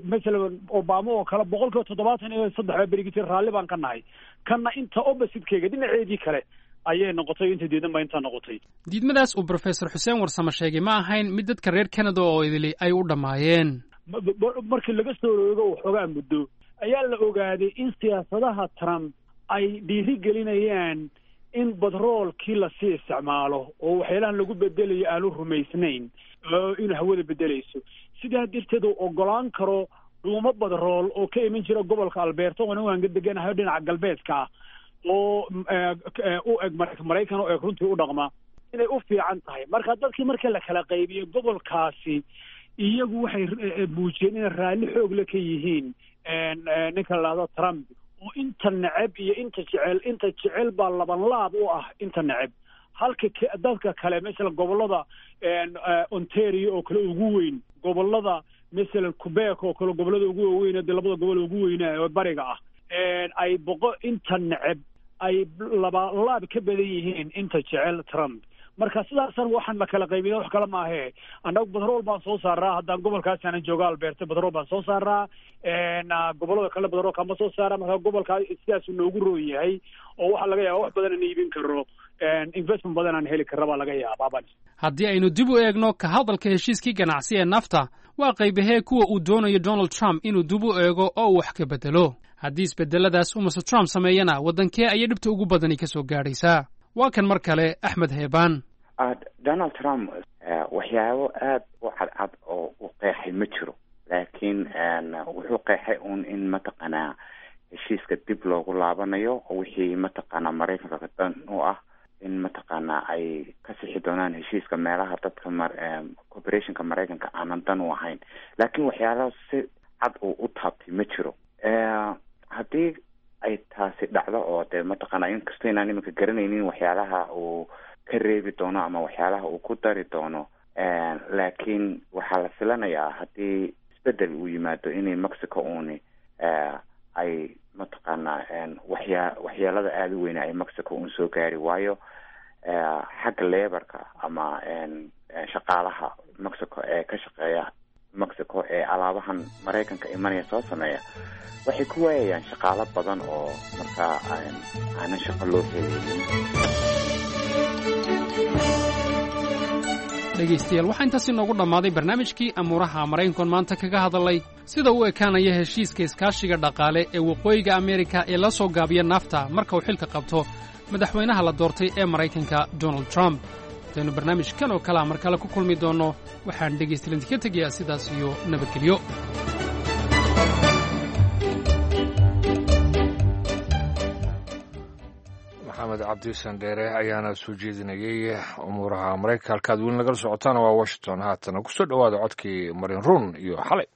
masalan Obama oo kale, boqolkiiba toddobaatan iyo saddex baa berigi jira raalli baan ka nahay. Kanna inta opposite-keyga dhinaceedii kale ayay noqotay, inta diidan baa intaa noqotay. Diidmadaas uu Brofesor Xuseen Warsame sheegay ma ahayn mid dadka reer Canada oo idili ay u dhammaayeen. Markii laga soo roogo waxoogaa muddo ayaa la ogaaday in siyaasadaha Trump ay dhiiri gelinayaan in batroolkii lasii isticmaalo oo waxyaalahan lagu bedelayo aanu rumaysnayn inuu hawada bedelayso. Sidaa darteed uu ogolaan karo dhuumo batrool oo ka iman jira gobolka Alberta oona waan ka deganahay dhinaca galbeedka ah oo u eg Maraykan u eg runtii u dhaqma inay u fiican tahay. Marka dadkii marka la kala qaybiyo gobolkaasi, iyagu waxay muujiyeen inay raalli xoog le ka yihiin ninka la dhahdo Trump, oo inta neceb iyo inta jecel, inta jecel baa laban laab u ah inta neceb. Halka dadka kale, masalan gobolada Ontario oo kale ugu weyn, gobolada masalan Quebec oo kale, gobolada ugu waaweyn, dee labada gobol ugu weynaa oo bariga ah, ay boqo inta neceb ay laba laab ka badan yihiin inta jecel Trump. Marka sidaasan waxaan la kala qaybina wax kale maahe. Annagu batrool baan soo saaraa, haddaan gobolkaas aanan jooga Alberta batrool baan soo saaraa, gobolada kale batroolka ma soo saara. Marka gobolkaa sidaasuu noogu roon yahay, oo waxaa laga yaaba wax badan aan iibin karo, investment badan aan heli karra baa laga yaabaa. Haddii aynu dib u eegno ka hadalka heshiiskii ganacsi ee nafta, waa qaybahee kuwa uu doonayo Donald Trump inuu dib u eego oo uu wax ka bedelo? Haddii isbedeladaas uu Mister Trump sameeyana, waddankee ayay dhibta ugu badani ka soo gaadhaysaa? Waa kan mar kale Axmed Heebaan. Donald Trump waxyaabo aada u cadcad oo uu qeexay ma jiro, laakiin wuxuu qeexay uun in mataqaanaa heshiiska dib loogu laabanayo, wixii mataqaanaa Maraykanka dan u ah in mataqaanaa ay ka sixi doonaan heshiiska meelaha dadka mar corporationka Maraykanka aanan dan u ahayn, laakiin waxyaalaha si cad uu u taabtay ma jiro. Haddii ay taasi dhacdo oo dee mataqaanaa inkastoo inaan iminka garanaynin waxyaalaha uu ka reebi doono ama waxyaalaha uu ku dari doono, laakiin waxaa la filanayaa haddii isbedel uu yimaado inay Mexico uuni ay mataqaanaa waxyaa waxyeelada aada u weyne ay Mexico uun soo gaari waayo, xagga lebarka ama shaqaalaha Mexico ee ka shaqeeya Mexico ee alaabahan Maraykanka imanaya soo sameeya waxay ku waayayaan shaqaalo badan oo markaa aanan shaqo loo helaynin. Dhegaystayaal, waxaa intaas inoogu dhammaaday barnaamijkii amuuraha Maraykankoon maanta kaga hadalay sida u ekaanaya heshiiska iskaashiga dhaqaale ee Waqooyiga Ameerika ee la soo gaabiya nafta marka uu xilka qabto madaxweynaha la doortay ee Maraykanka Donald Trump. Intaynu barnaamijkan oo kalea mar kale ku kulmi doonno, waxaan dhegaystayaal idinka tegayaa sidaas iyo nabadgelyo. Maxamed Cabdi Sandheere ayaana soo jeedinayay umuuraha Maraykanka. Halkaad weli nagala socotaana waa Washington. Haatana kusoo dhowaada codkii Marin Ruun iyo Xalay.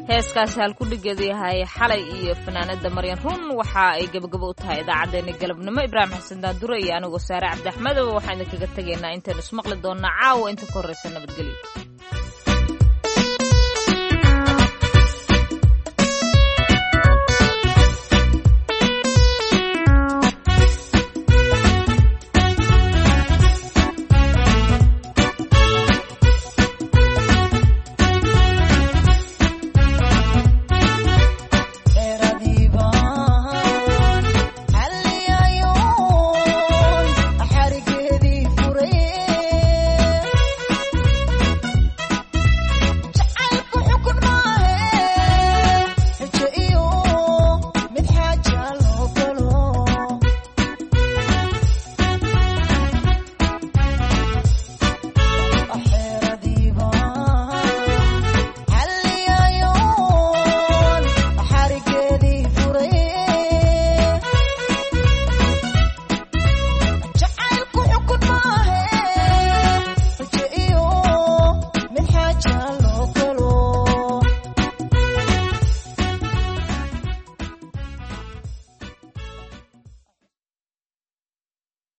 Heeskaasi halkudhigeedu yahay Xalay iyo fanaanada Maryan Run waxa ay gabagabo u tahay idaacaddeenna galabnimo. Ibraahim Xasan Daandure iyo anigoo Saare Cabdi Axmedow waxaan idinkaga tegaynaa intaynu ismaqli doonnaa caawa inta ka horreysa nabadgelyo.